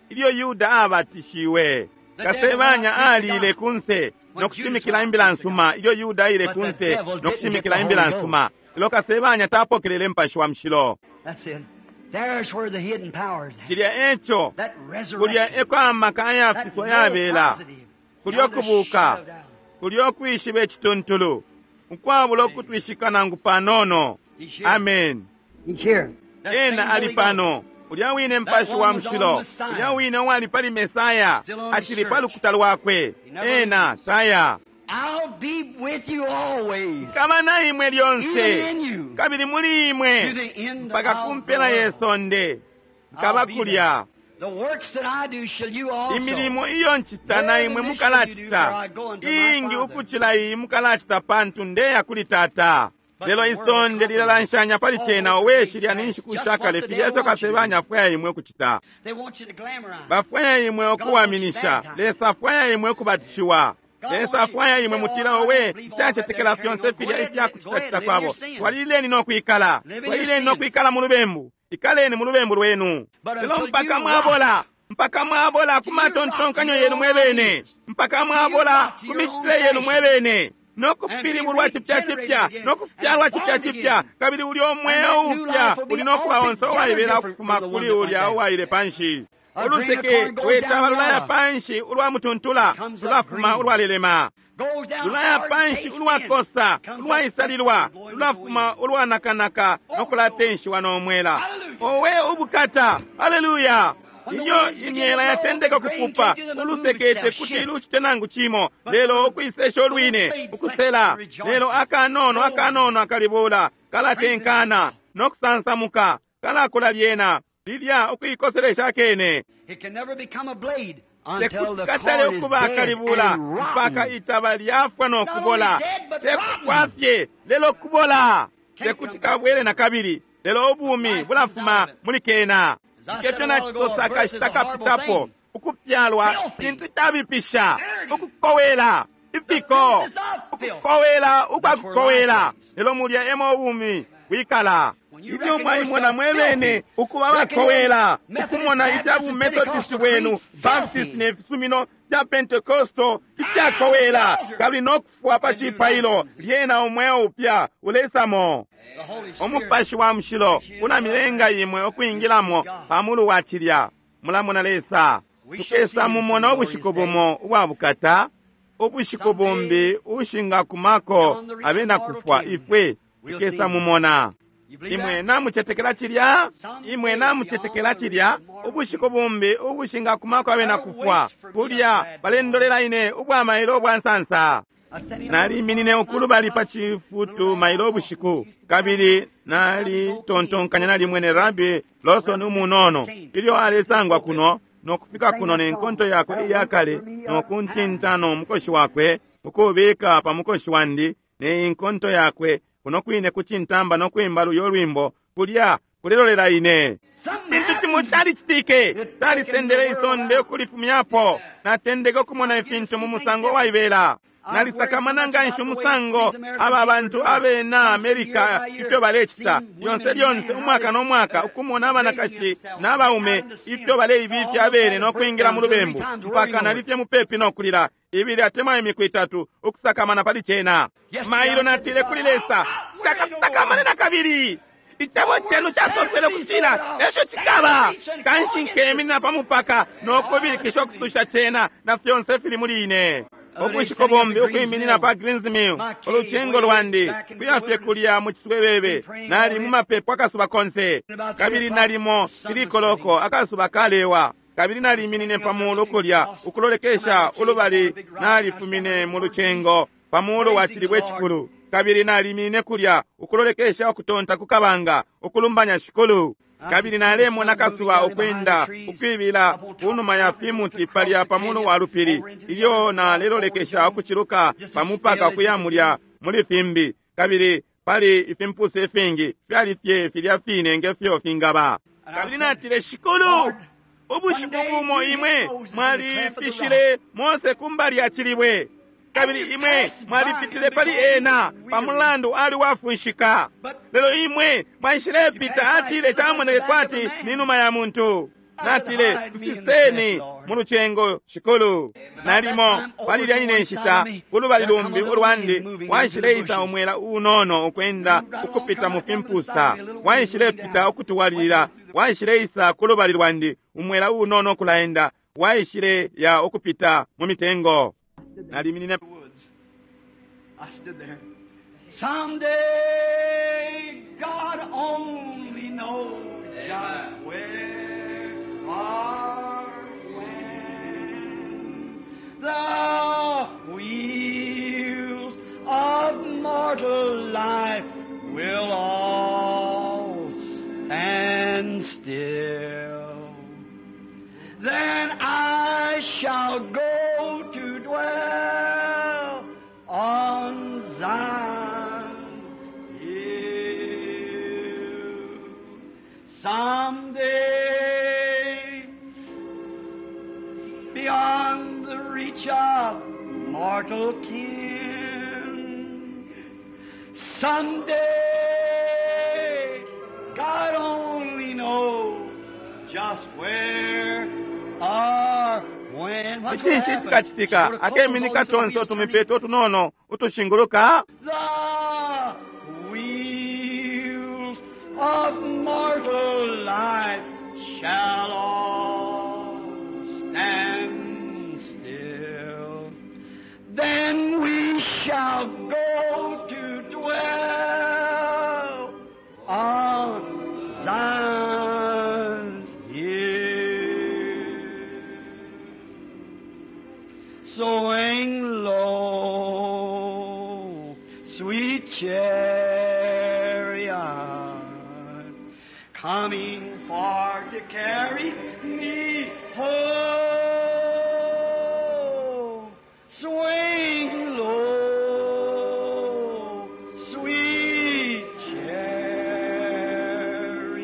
ilyo Yuda abatishiwe. Kasebanya alile kunse no kushimikila imbila nsuma ilyo Yuda aile kunse no kushimikila imbila nsuma, lelo kasebanya tapokelele Mupashi wa Mushilo. That's it. There's where the hidden powers at. Cilya eco That kulya resurrection. eko amaka That ayafiswa no yabela, positive. kulya Beyond a kubuka, shadow of doubt. kulya ukwishiba icituntulu, ukwabula ukutwishika nangu panono. He's here. Amen. He's here. That same Ena ali Holy pano, Ghost. ulya wine Mupashi wa Mushilo, ulya wine uwali pali Mesaya, acili pa lukuta lwakwe. Ena taya I'll be with you always, kaba na imwe even lyonse, in you, kabili muli to imwe the end mpaka ku of the mpela ye world. sonde. Nkaba I'll be kulya there. The works that I do shall you also. imilimo iyo ncita na imwe mukalacita, iingi ukucila iyi mukalacita, pantu ndeya kuli Tata. Lelo isonde lilalanshanya pali cena, owe shilya ni nshiku shakale, filya ifyo kasebanya afwaya imwe ukucita. They want you to glamorize. Bafwaya imwe okuwaminisha. Lesa afwaya imwe ukubatishiwa. Lesa afwaya imwe mutila, owe nshacetekela fyonse filya ifyakucitacita kwabo. Twalileni no kwikala, twalileni no kwikala mu lubembu, ikaleni mu lubembu lwenu, lelo mpaka mwabola, mpaka mwabola ku matontonkanyo yenu mwebene, mpaka mwabola ku micitile yenu mwebene, no kupilibulwa cipya cipya, no kufyalwa cipya cipya, kabili ulya umweo upya uli no kuba onse uwaibela ukufuma kuli ulya uwaile panshi. Uluseke lwetaba lulaya panshi ulwa mutuntula, lulafuma ulwalelema. Goes down Lulaya hard, panshi tastes ulwakosa, thin, comes up ulwaisalilwa, flexible, blowing with the lulafuma wind. ulwanakanaka no kulatenshiwa n'omwela. Owe ubukata! Haleluya! Iyo imyela yatendeka ukupupa, ulusekete kuti lucite nangu cimo, lelo ukwisesha olwine ukusela, lelo akanono akanono akalibula kalatenkana no kusansamuka, kalakula lyena lilya ukuikoselesha kene. It can never become a blade until Tekuti the katale corn is ukuba dead akalibula and mpaka rotten. itaba lyafwa no kubola. Not only dead, but Tekufwa fye lelo kubola, tekuti kabwele na kabili, lelo ubumi bulafuma muli kena. Ngefyo nacisosa akashita kapitapo, ukufyalwa cintu cabipisha, ukukowela ifiko, ukukowela ukwakukowela, lelo mulya emo ubumi bwikala. Ilyo mwaimona mwebene ukuba bakowela, ukumona ifya bumethodist bwenu, Baptist ne fisumino fya Pentecostal ifyakowela, kabili no kufwa pa cipailo, lyena umweo upya ulesamo. The Holy Spirit. Umupashi wa Mushilo ulamilenga imwe ukwingilamo pamulu wa cilya. Mulamona Lesa. Tukesa mumona ubushiku bumo ubwa bukata, ubushiku bumbi ushingakumako abena kufwa, ifwe tukesa mumona. You believe Imwe that? namucetekela cilya, imwe namucetekela cilya, ubushiku bumbi ubushingakumako abena kufwa, kulya balendolela ine ubwa mailo ubwa nsansa. I standing up Naliminine ukulubali pa cifutu mailo ubushiku, kabili nalitontonkanya nalimwene Rabi Lawson umunono ilyo alesangwa kuno no kufika kuno ne nkonto yakwe iyakale no kuntinta no mukoshi wakwe ukubika pa mukoshi wandi ne inkonto yakwe kuno kwine kucintamba no kwimba luyo lwimbo kulya kulelolela ine. Cintu cimo calicitike, calisendele isonde ukulifumyapo. Natendeke ukumona ifintu mu musango waibela. Nalisakamana nganshi umusango aba bantu abena Amerika ifyo balecita lyonse lyonse, umwaka no mwaka, ukumona abanakashi n'abaume ifyo baleibifya abene no kwingila mu lubembu, mpaka nalifye mupepi no kulila ibili atemwa imiku itatu ukusakamana pali cena. Mailo natile kuli Lesa, shakasakamane na kabili. Icebo cenu casosele kutila efyo cikaba, kanshi nkeminina pa mupaka no kubilikisha ukususha cena na fyonse fili muli ine. Ubushiku bumbi ukwiminina pa Greens Mill, ulucengo lwandi kuya fye kulya mu ciswebebe, nali mu mapepo akasuba konse, kabili nalimo ilikoloko akasuba kalewa, kabili naliminine pa mulu kulya ukulolekesha ulubali, nalifumine mu lucengo pa mulu wa cilibwe cikulu, kabili naliminine kulya ukulolekesha ukutonta ku kabanga, ukulumbanya Shikulu. Kabili nalemona kasuba ukwenda ukwibila kunuma ya fimuti palya pamulu wa lupili, ilyo nalelolekesha ukuciluka pamupaka ukuya mulya muli fimbi, kabili pali ifimpusa ifingi fyali fye filya fine ngefyo fingaba. Kabili natile, Shikulu, ubushiku bumo imwe mwalifishile Mose kumbali ya cilibwe, kabili imwe mwalipitile pali ena pamulandu ali wafunshika, lelo imwe mwaishilepita, atile camoneke kwati ni numa ya muntu. Natile, mfiseni mu lucengo, Shikulu. Nalimo palilya ine nshita kulubali lumbi ulwandi waishileisa umwela unono ukwenda ukupita mu fimpusa, waishilepita ukutuwalilila, waishileisa kulubali lwandi umwela unono ukulaenda, waishile ya ukupita mu mitengo. Naliminine. I stood there. Someday, God only knows just where or when the wheels of mortal life will all stand still. Then I shall go to dwell on Zion Hill. Someday, beyond the reach of mortal kin, someday, God only knows just where or when. What's gonna Icinshi happen? cikacitika Sort of akeminika close all tonse these wheels turning. utumipeto utunono utushinguluka. The wheels of mortal life shall all stand still. Then we shall go to dwell on Zion's hill. Swing low, sweet chariot, coming for to carry me home. Swing low, sweet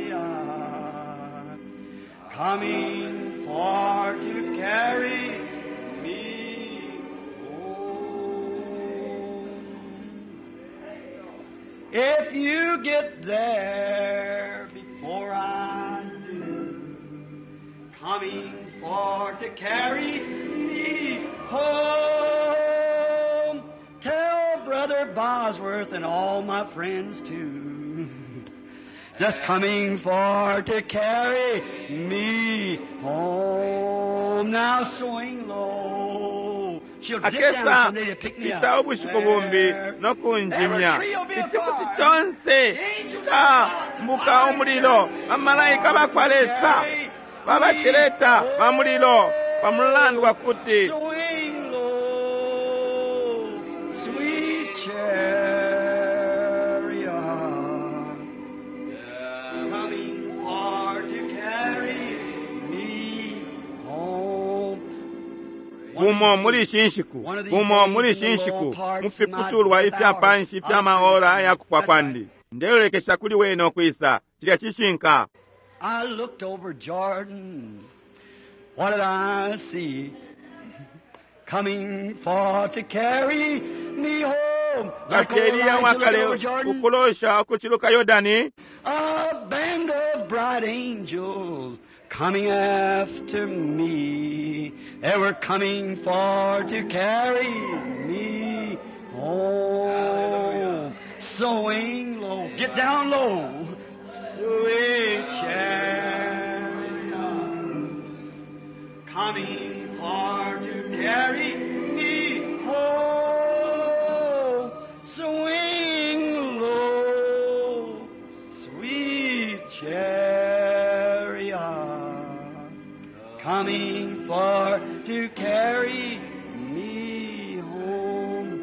chariot, coming for to carry me home. If you get there before I do, coming for to carry me home, tell Brother Bosworth and all my friends too. Just coming for to carry me home. Now swing low. She'll dip down Akesa someday to pick me pita up. ubushiku bumbi no kunjimya. Every tree will be a Ichifuti fire. chonse chikambuka umulilo, bamalaika bakwa Lesa babachileta ba mulilo pamulandu wa kuti Swing low, sweet chariot, coming for to carry me home. bumo muli ishi nshiku, bumo muli ishi nshiku mufiputulwa ifya panshi ifya maora aya kupwa kwandi ndelolekesha kuli wene ukwisa cilya cishinka. I looked over Jordan. What did I see? Coming for to carry me home. Like Ngati old Eliya Elijah looked wakale over Jordan. ukulosha ukuchiluka Yordani, A band of bright angels coming after me. They were coming for to carry me home. Swing low, get down low. Sweet chariot, coming for to carry me home. Swing low, sweet chariot, coming for to carry me home.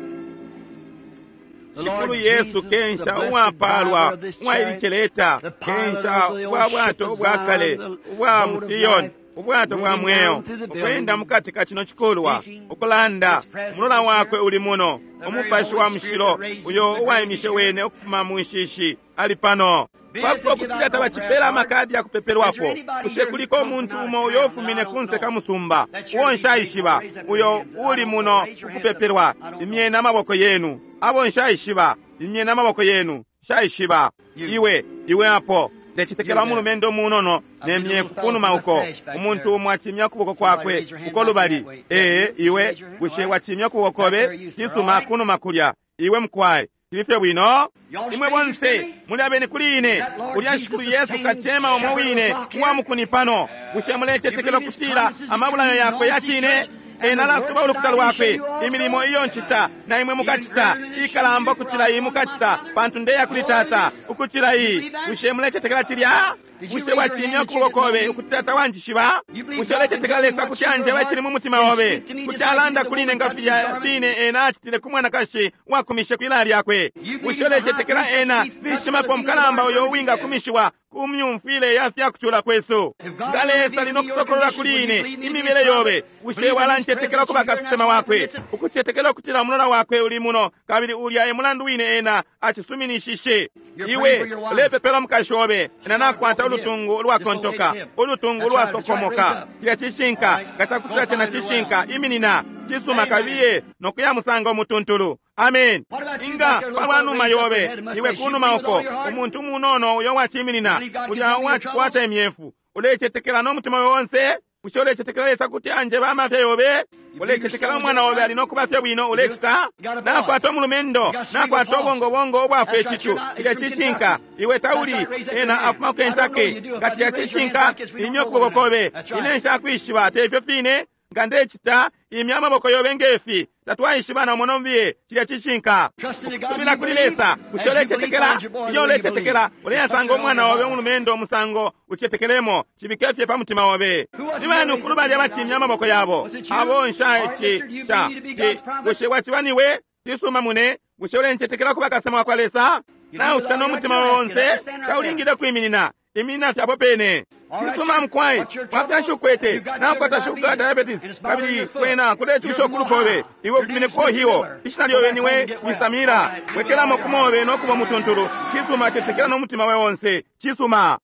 The Shikulu Lord Yesu Jesus, the kensha blessed uwapalwa driver of this chariot, uwailicheleta the pilot kensha of the ubwa old ship bwato of ubwakale Zion, the ubwa boat of musiyoni life, ubwato bwa moving mweo down through the ukwenda building, mukati ka chino chikolwa speaking, ukulanda His presence umulola is wakwe here, uli muno the very umupashi Holy wa Spirit mushilo that raised him uyo from the grave uwayimishe is here. wene ukufuma mu nshishi ali pano. Be it to Pakuba give kutila out no prayer tabachipela card. amakadi ya Is kupepelwapo there anybody kushe here who kuliko come from umuntu out of umo town uyo that I ufumine don't kunse ka know? musumba That uwo surely these people nshaishiba raise up their uyo hands that I uli don't know. muno Raise your hands up. ukupepelwa I don't imyeni know. amaboko yenu abo nshaishiba imyeni amaboko yenu nshaishiba You. iwe iwe apo Ndecetekela umulumendo umunono ne myefu kunuma uko umuntu umo acimya ukuboko kwakwe uko lubali. Ee, iwe bushe wacimya ukuboko kobe? Cisuma, kunuma kulya iwe mukwai tilifye bwino. Imwe bonse muli abeni kuli ine. Ulya Shikulu Yesu kachema omwe wine uwamukuni pano. Bushe mulecetekela ukutila amabulayo yakwe yacine? Ena alasuba ulukuta lwakwe. Imilimo iyo ncita na imwe mukacita ikalamba ukucila iyi mukacita, pantu ndeya kuli Tata ukucila iyi. Bushe mulecetekela cilya? Bushe wacimya ukuboko kobe ukuti Tata wanjishiba? Bushe ulecetekela Lesa kuti anjeba icili mu mutima obe, kuti alanda kuli ine nga filya fine ena acitile ku mwanakashi uwakumishe kwilaya lyakwe? Bushe ulecetekela ena nishimapo mukalamba uyo uwingakumishiwa ku myumfwile ya fyakucula kwesu? Nga Lesa ali nokusokolola kuli ine imibele yobe, bushe walancetekela kuba kasesema wakwe, ukucetekela ukutila umulola wakwe uli muno, kabili ulya e mulandu wine ena acisuminishishe? Iwe ulepepela umukashi obe, ena nakwata ulutungu ulwakontoka, ulutungu ulwasokomoka. Cilya cishinka. Nga cakutila cena cishinka, iminina. Cisuma, kabiye nokuyamusanga umutuntulu. Amen. Inga palwa numa yobe, iwe kunuma uko umuntu umunono uyo waciminina ulya uwacikwata imyefu, ulecetekela nomutima wonse? Bushe ulecetekela Lesa kuti anjeba amafya yobe? Ulecetekela umwana obe ali nokuba fye bwino? Ulecita? Nakwata umulumendo, nakwata ubongobongo ubwafa icicu. Cilya cishinka. Iwe tauli ena afuma ku Kentucky. Nga cilya cishinka, imya ukuboko kobe. Ine nshakwishiba, tefyo fine? Nga ndecita, imya amaboko yobe ngefi. Tatwaishibana umo mbiye. Cilya cishinka. Ukusubila kuli Lesa. Bushe ulecetekela? Iyo ulecetekela, uleyasanga umwana obe umulumendo umusango ucetekelemo. Cibike fye pa mutima obe. Ni bani ukulu balya bacimya amaboko yabo? Abo nsha ici sha ti. Bushe waciba niwe? Cisuma mune. Bushe ulencetekela kuba kasesema wa kwa Lesa? Naucita nomutima onse, taulingile kwiminina. Iminina fye apo pene. Cisuma mukwai, wafyanshi ukwete? Nakwata shuga diabetes, kabili kwena kulecusha ukulukobe. Iwe ufumine ku Ohio. Ishina lyobe niwe Wisamira. Wekelamo kumobe nokuba mutuntulu. Cisuma, cetekela nomutima we onse. Cisuma.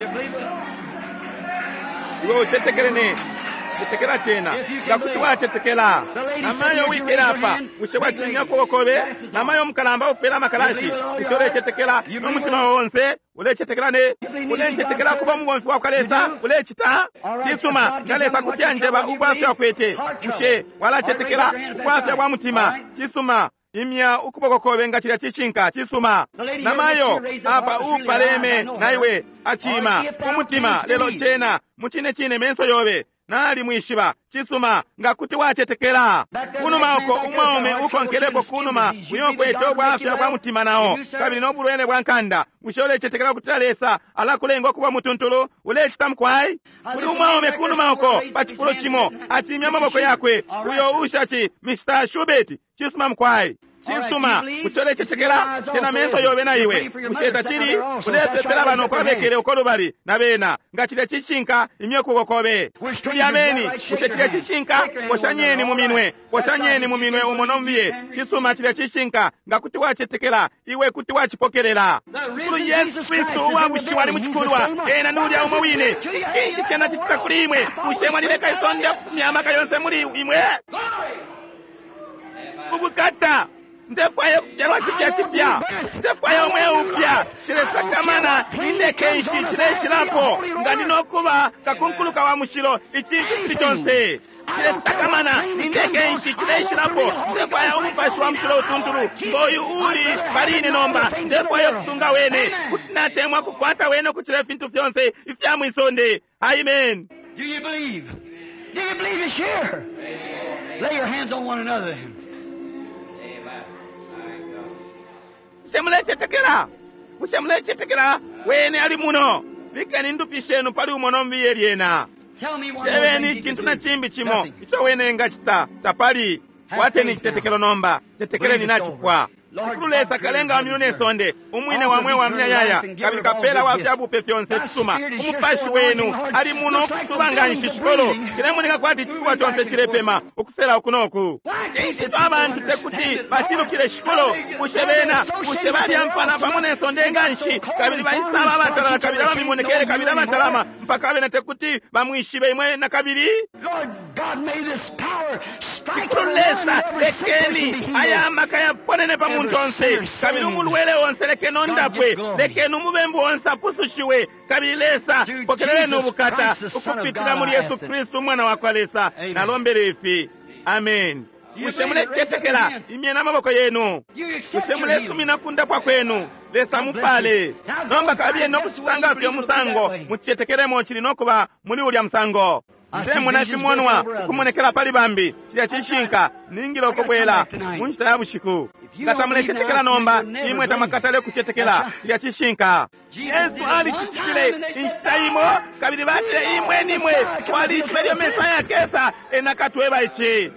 Iwe ucetekele ne cetekela cena. Nga kuti wacetekela. Namayo wikele apa, bushe wacimya ukuboko kobe? Namayo umukalamba ufwele amakalashi, bushe ulecetekela nomutima onse? Ulecetekela ne? Ulencetekela kuba umubomfi wa kwa Lesa? Ulecita? Cisuma, nga Lesa kuti anjeba ubwafya ukwete, bushe walacetekela ubwafya bwa mutima? Cisuma, imya ukuboko kobe nga cilya cishinka. Cisuma. Namayo apa upaleme naiwe acima umutima, lelo cena mucine cine menso yobe nali mwishiba. Cisuma, nga kuti wacetekela. Kunuma uko umwaume ukonkelepo kunuma uyo kwete ubwafya bwa mutima nao kabili nobulwele bwa nkanda. Bushe ulecetekela kutila Lesa alakulenga ukuba mutuntulu? Ulecita mukwai? Kuli umwaume kunuma uko pa cifulo cimo acimya amaboko yakwe, uyo ushaci Mister Shubert. Cisuma mukwai. Cisuma, bushe ulecetekela? Tena menso yobe na iwe. Bushe tacili? Ulepepela bano kwabekele uko lubali na bena. Nga cilya cishinka, imye ukuboko kobe. Tuli ameni. Bushe cilya cishinka? Poshanyeni mu minwe. Poshanyeni mu minwe umo nombiye. Cisuma, cilya cishinka. Nga kuti wacetekela, iwe kuti wacipokelela. Shikulu Yesu Kristu uwabushiwa ali mucikulwa. Ena ni ulya umo wine. Cinshi cena cicita kuli imwe? Bushe mwalileka isonde kufumya amaka yonse muli imwe? Ubukata. Ndefwaya kubyalwa cipya cipya. Ndefwaya umwe upya. Cilesakamana indeke nshi cileshilapo. Nga ndi nokuba kakunkuluka wa mushilo icintu cili conse. Cilesakamana indeke nshi cileshilapo. Ndefwaya umupashi wa mushilo utuntulu ngoyu uli pali ine nomba. Ndefwaya kusunga wene. Kuti natemwa kukwata wene ukucila ifintu fyonse ifya mwisonde. Amen. Do you believe? Do you believe it's here? Lay your hands on one another. Bushe mulecetekela? Bushe mulecetekela wene ali muno? Bikeni indupi shenu pali umo nombiye lyena. Tell me one more Tebeni thing you icintu can na do. cimbi cimo Nothing. ico wene ngacita tapali. Kwateni icitetekelo nomba, cetekeleni nacipwa. Shikulu Lesa kalenga wa myulu ne sonde, umwine wa mweo wa myayaya, kabili kapela wa fyabupe fyonse fisuma. Umupashi wenu ali muno ukusuba nga nshi shikolo. Cilemoneka kwati icikuba conse cilepema ukusela uku noku. Cinshi abantu tekuti bacilukile shikolo? Bushe bena, bushe balyampana pamo ne sonde nga nshi, kabili baisaba abatalala, kabili abamimonekele, kabili abatalama, mpaka bena tekuti bamwishibe imwe na kabili? Lord God, Shikulu Lesa, lekeni aya amaka yaponene pa muntu onse, kabili umulwele onse lekeni ondapwe, lekeni umubembu onse apusushiwe, kabili Lesa pokeleleni ubukata ukupitila muli Yesu Kristu umwana wa kwa Lesa. Nalombele ifi. Amen. Bushe mulecetekela? Imyeni amaboko yenu. Bushe mulesumina kundapwa kwenu? Lesa mupale. Nomba kabili nokusanga fye umusango mucetekelemo chili nokuba muli ulya musango. Ndemona ifimonwa ukumonekela pali bambi cilya cishinka ningile ukubwela mu nshita ya bushiku. Nga tamulecetekela nomba, imwe tamakatale kucetekela cilya cishinka. Yesu alicicitile inshita imo, kabili batile imwe nimwe twalishiba ilyo Mesaya akesa, ena akatweba ici.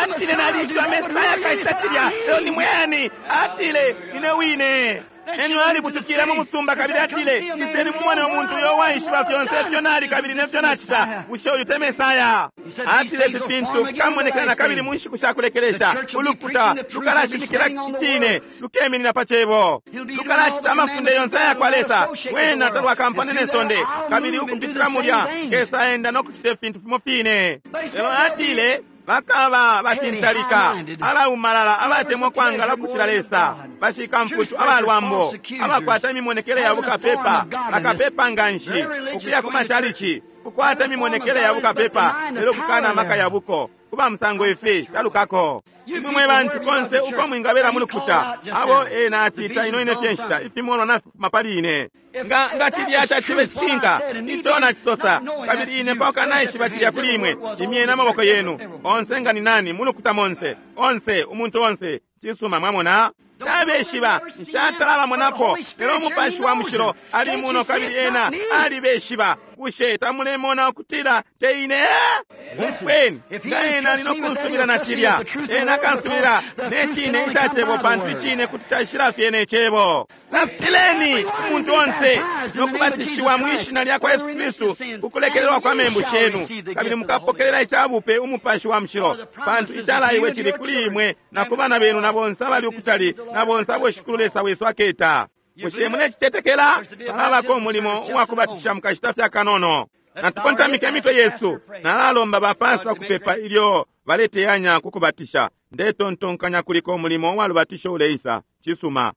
Atile nalishiba Mesaya akacita cilya, lelo ni mweyani? Atile ine wine. Enyo alibutukile mu musumba kabili atile iseni mumone umuntu uyo waishiba fyonse ifyo nali kabili nefyo nacita. Bushe uyu te Mesaya? Atile ifi fintu fikamonekela na kabili mu nshiku sha kulekelesha. Ulukuta lukalashimikila icine, lukeminina pa cebo, lukalacita amafunde yonse aya kwa Lesa. Wena talwakampane ne sonde, kabili ukupitila mulya kesa enda no kucita ifintu fimo fine. Lelo atile bakaba bashintalika, abaumalala, abatemwa kwangala kucila Lesa, bashikamfutu, abalwambo, abakwata imimonekele ya bukapepa, bakapepa nganshi ukuya ku machalichi, kukwata imimonekele ya bukapepa lelo kukana amaka ya buko. Kuba musango ifi talukako. Imwe mwe bantu konse uko mwingabela mulukuta abo ena acita ino ine fye nshita ifimonwa nafifuma pali ine. Nga nga cilya cacibe cishinka ico nacisosa, kabili ine mpaka naishiba cilya kuli imwe. Imyeni amaboko yenu onse nga ni nani mulukuta monse onse umuntu onse. Cisuma, mwamona tabeshiba nshatalabamonapo, lelo umupashi wa mushilo ali muno kabili ena alibeshiba. Bushe tamulemona ukutila te ine? Umfweni, nga ena ali nokunsubila na cilya, ena akansubila ne cine ica cebo, pantu icine kuti caishila fye ne cebo. Lapileni umuntu onse nokubatishiwa mwi shina lya kwa Yesu Kristu ukulekelelwa kwa membu shenu, kabili mukapokelela icabupe umupashi wa mushilo, pantu icalaiwe cili kuli imwe na ku bana benu na bonse abali ukutali na bonse abo Shikulu Lesa wesu aketa. Bushe mulecicetekela? Palabako umulimo uwakubatisha mukashita fya kanono. Natukontamike imitwe yesu. Nalalomba bapasta kupepa ilyo baleteyanya kukubatisha. Ndetontonkanya kuliko umulimo uwalubatisho uleisa. Cisuma.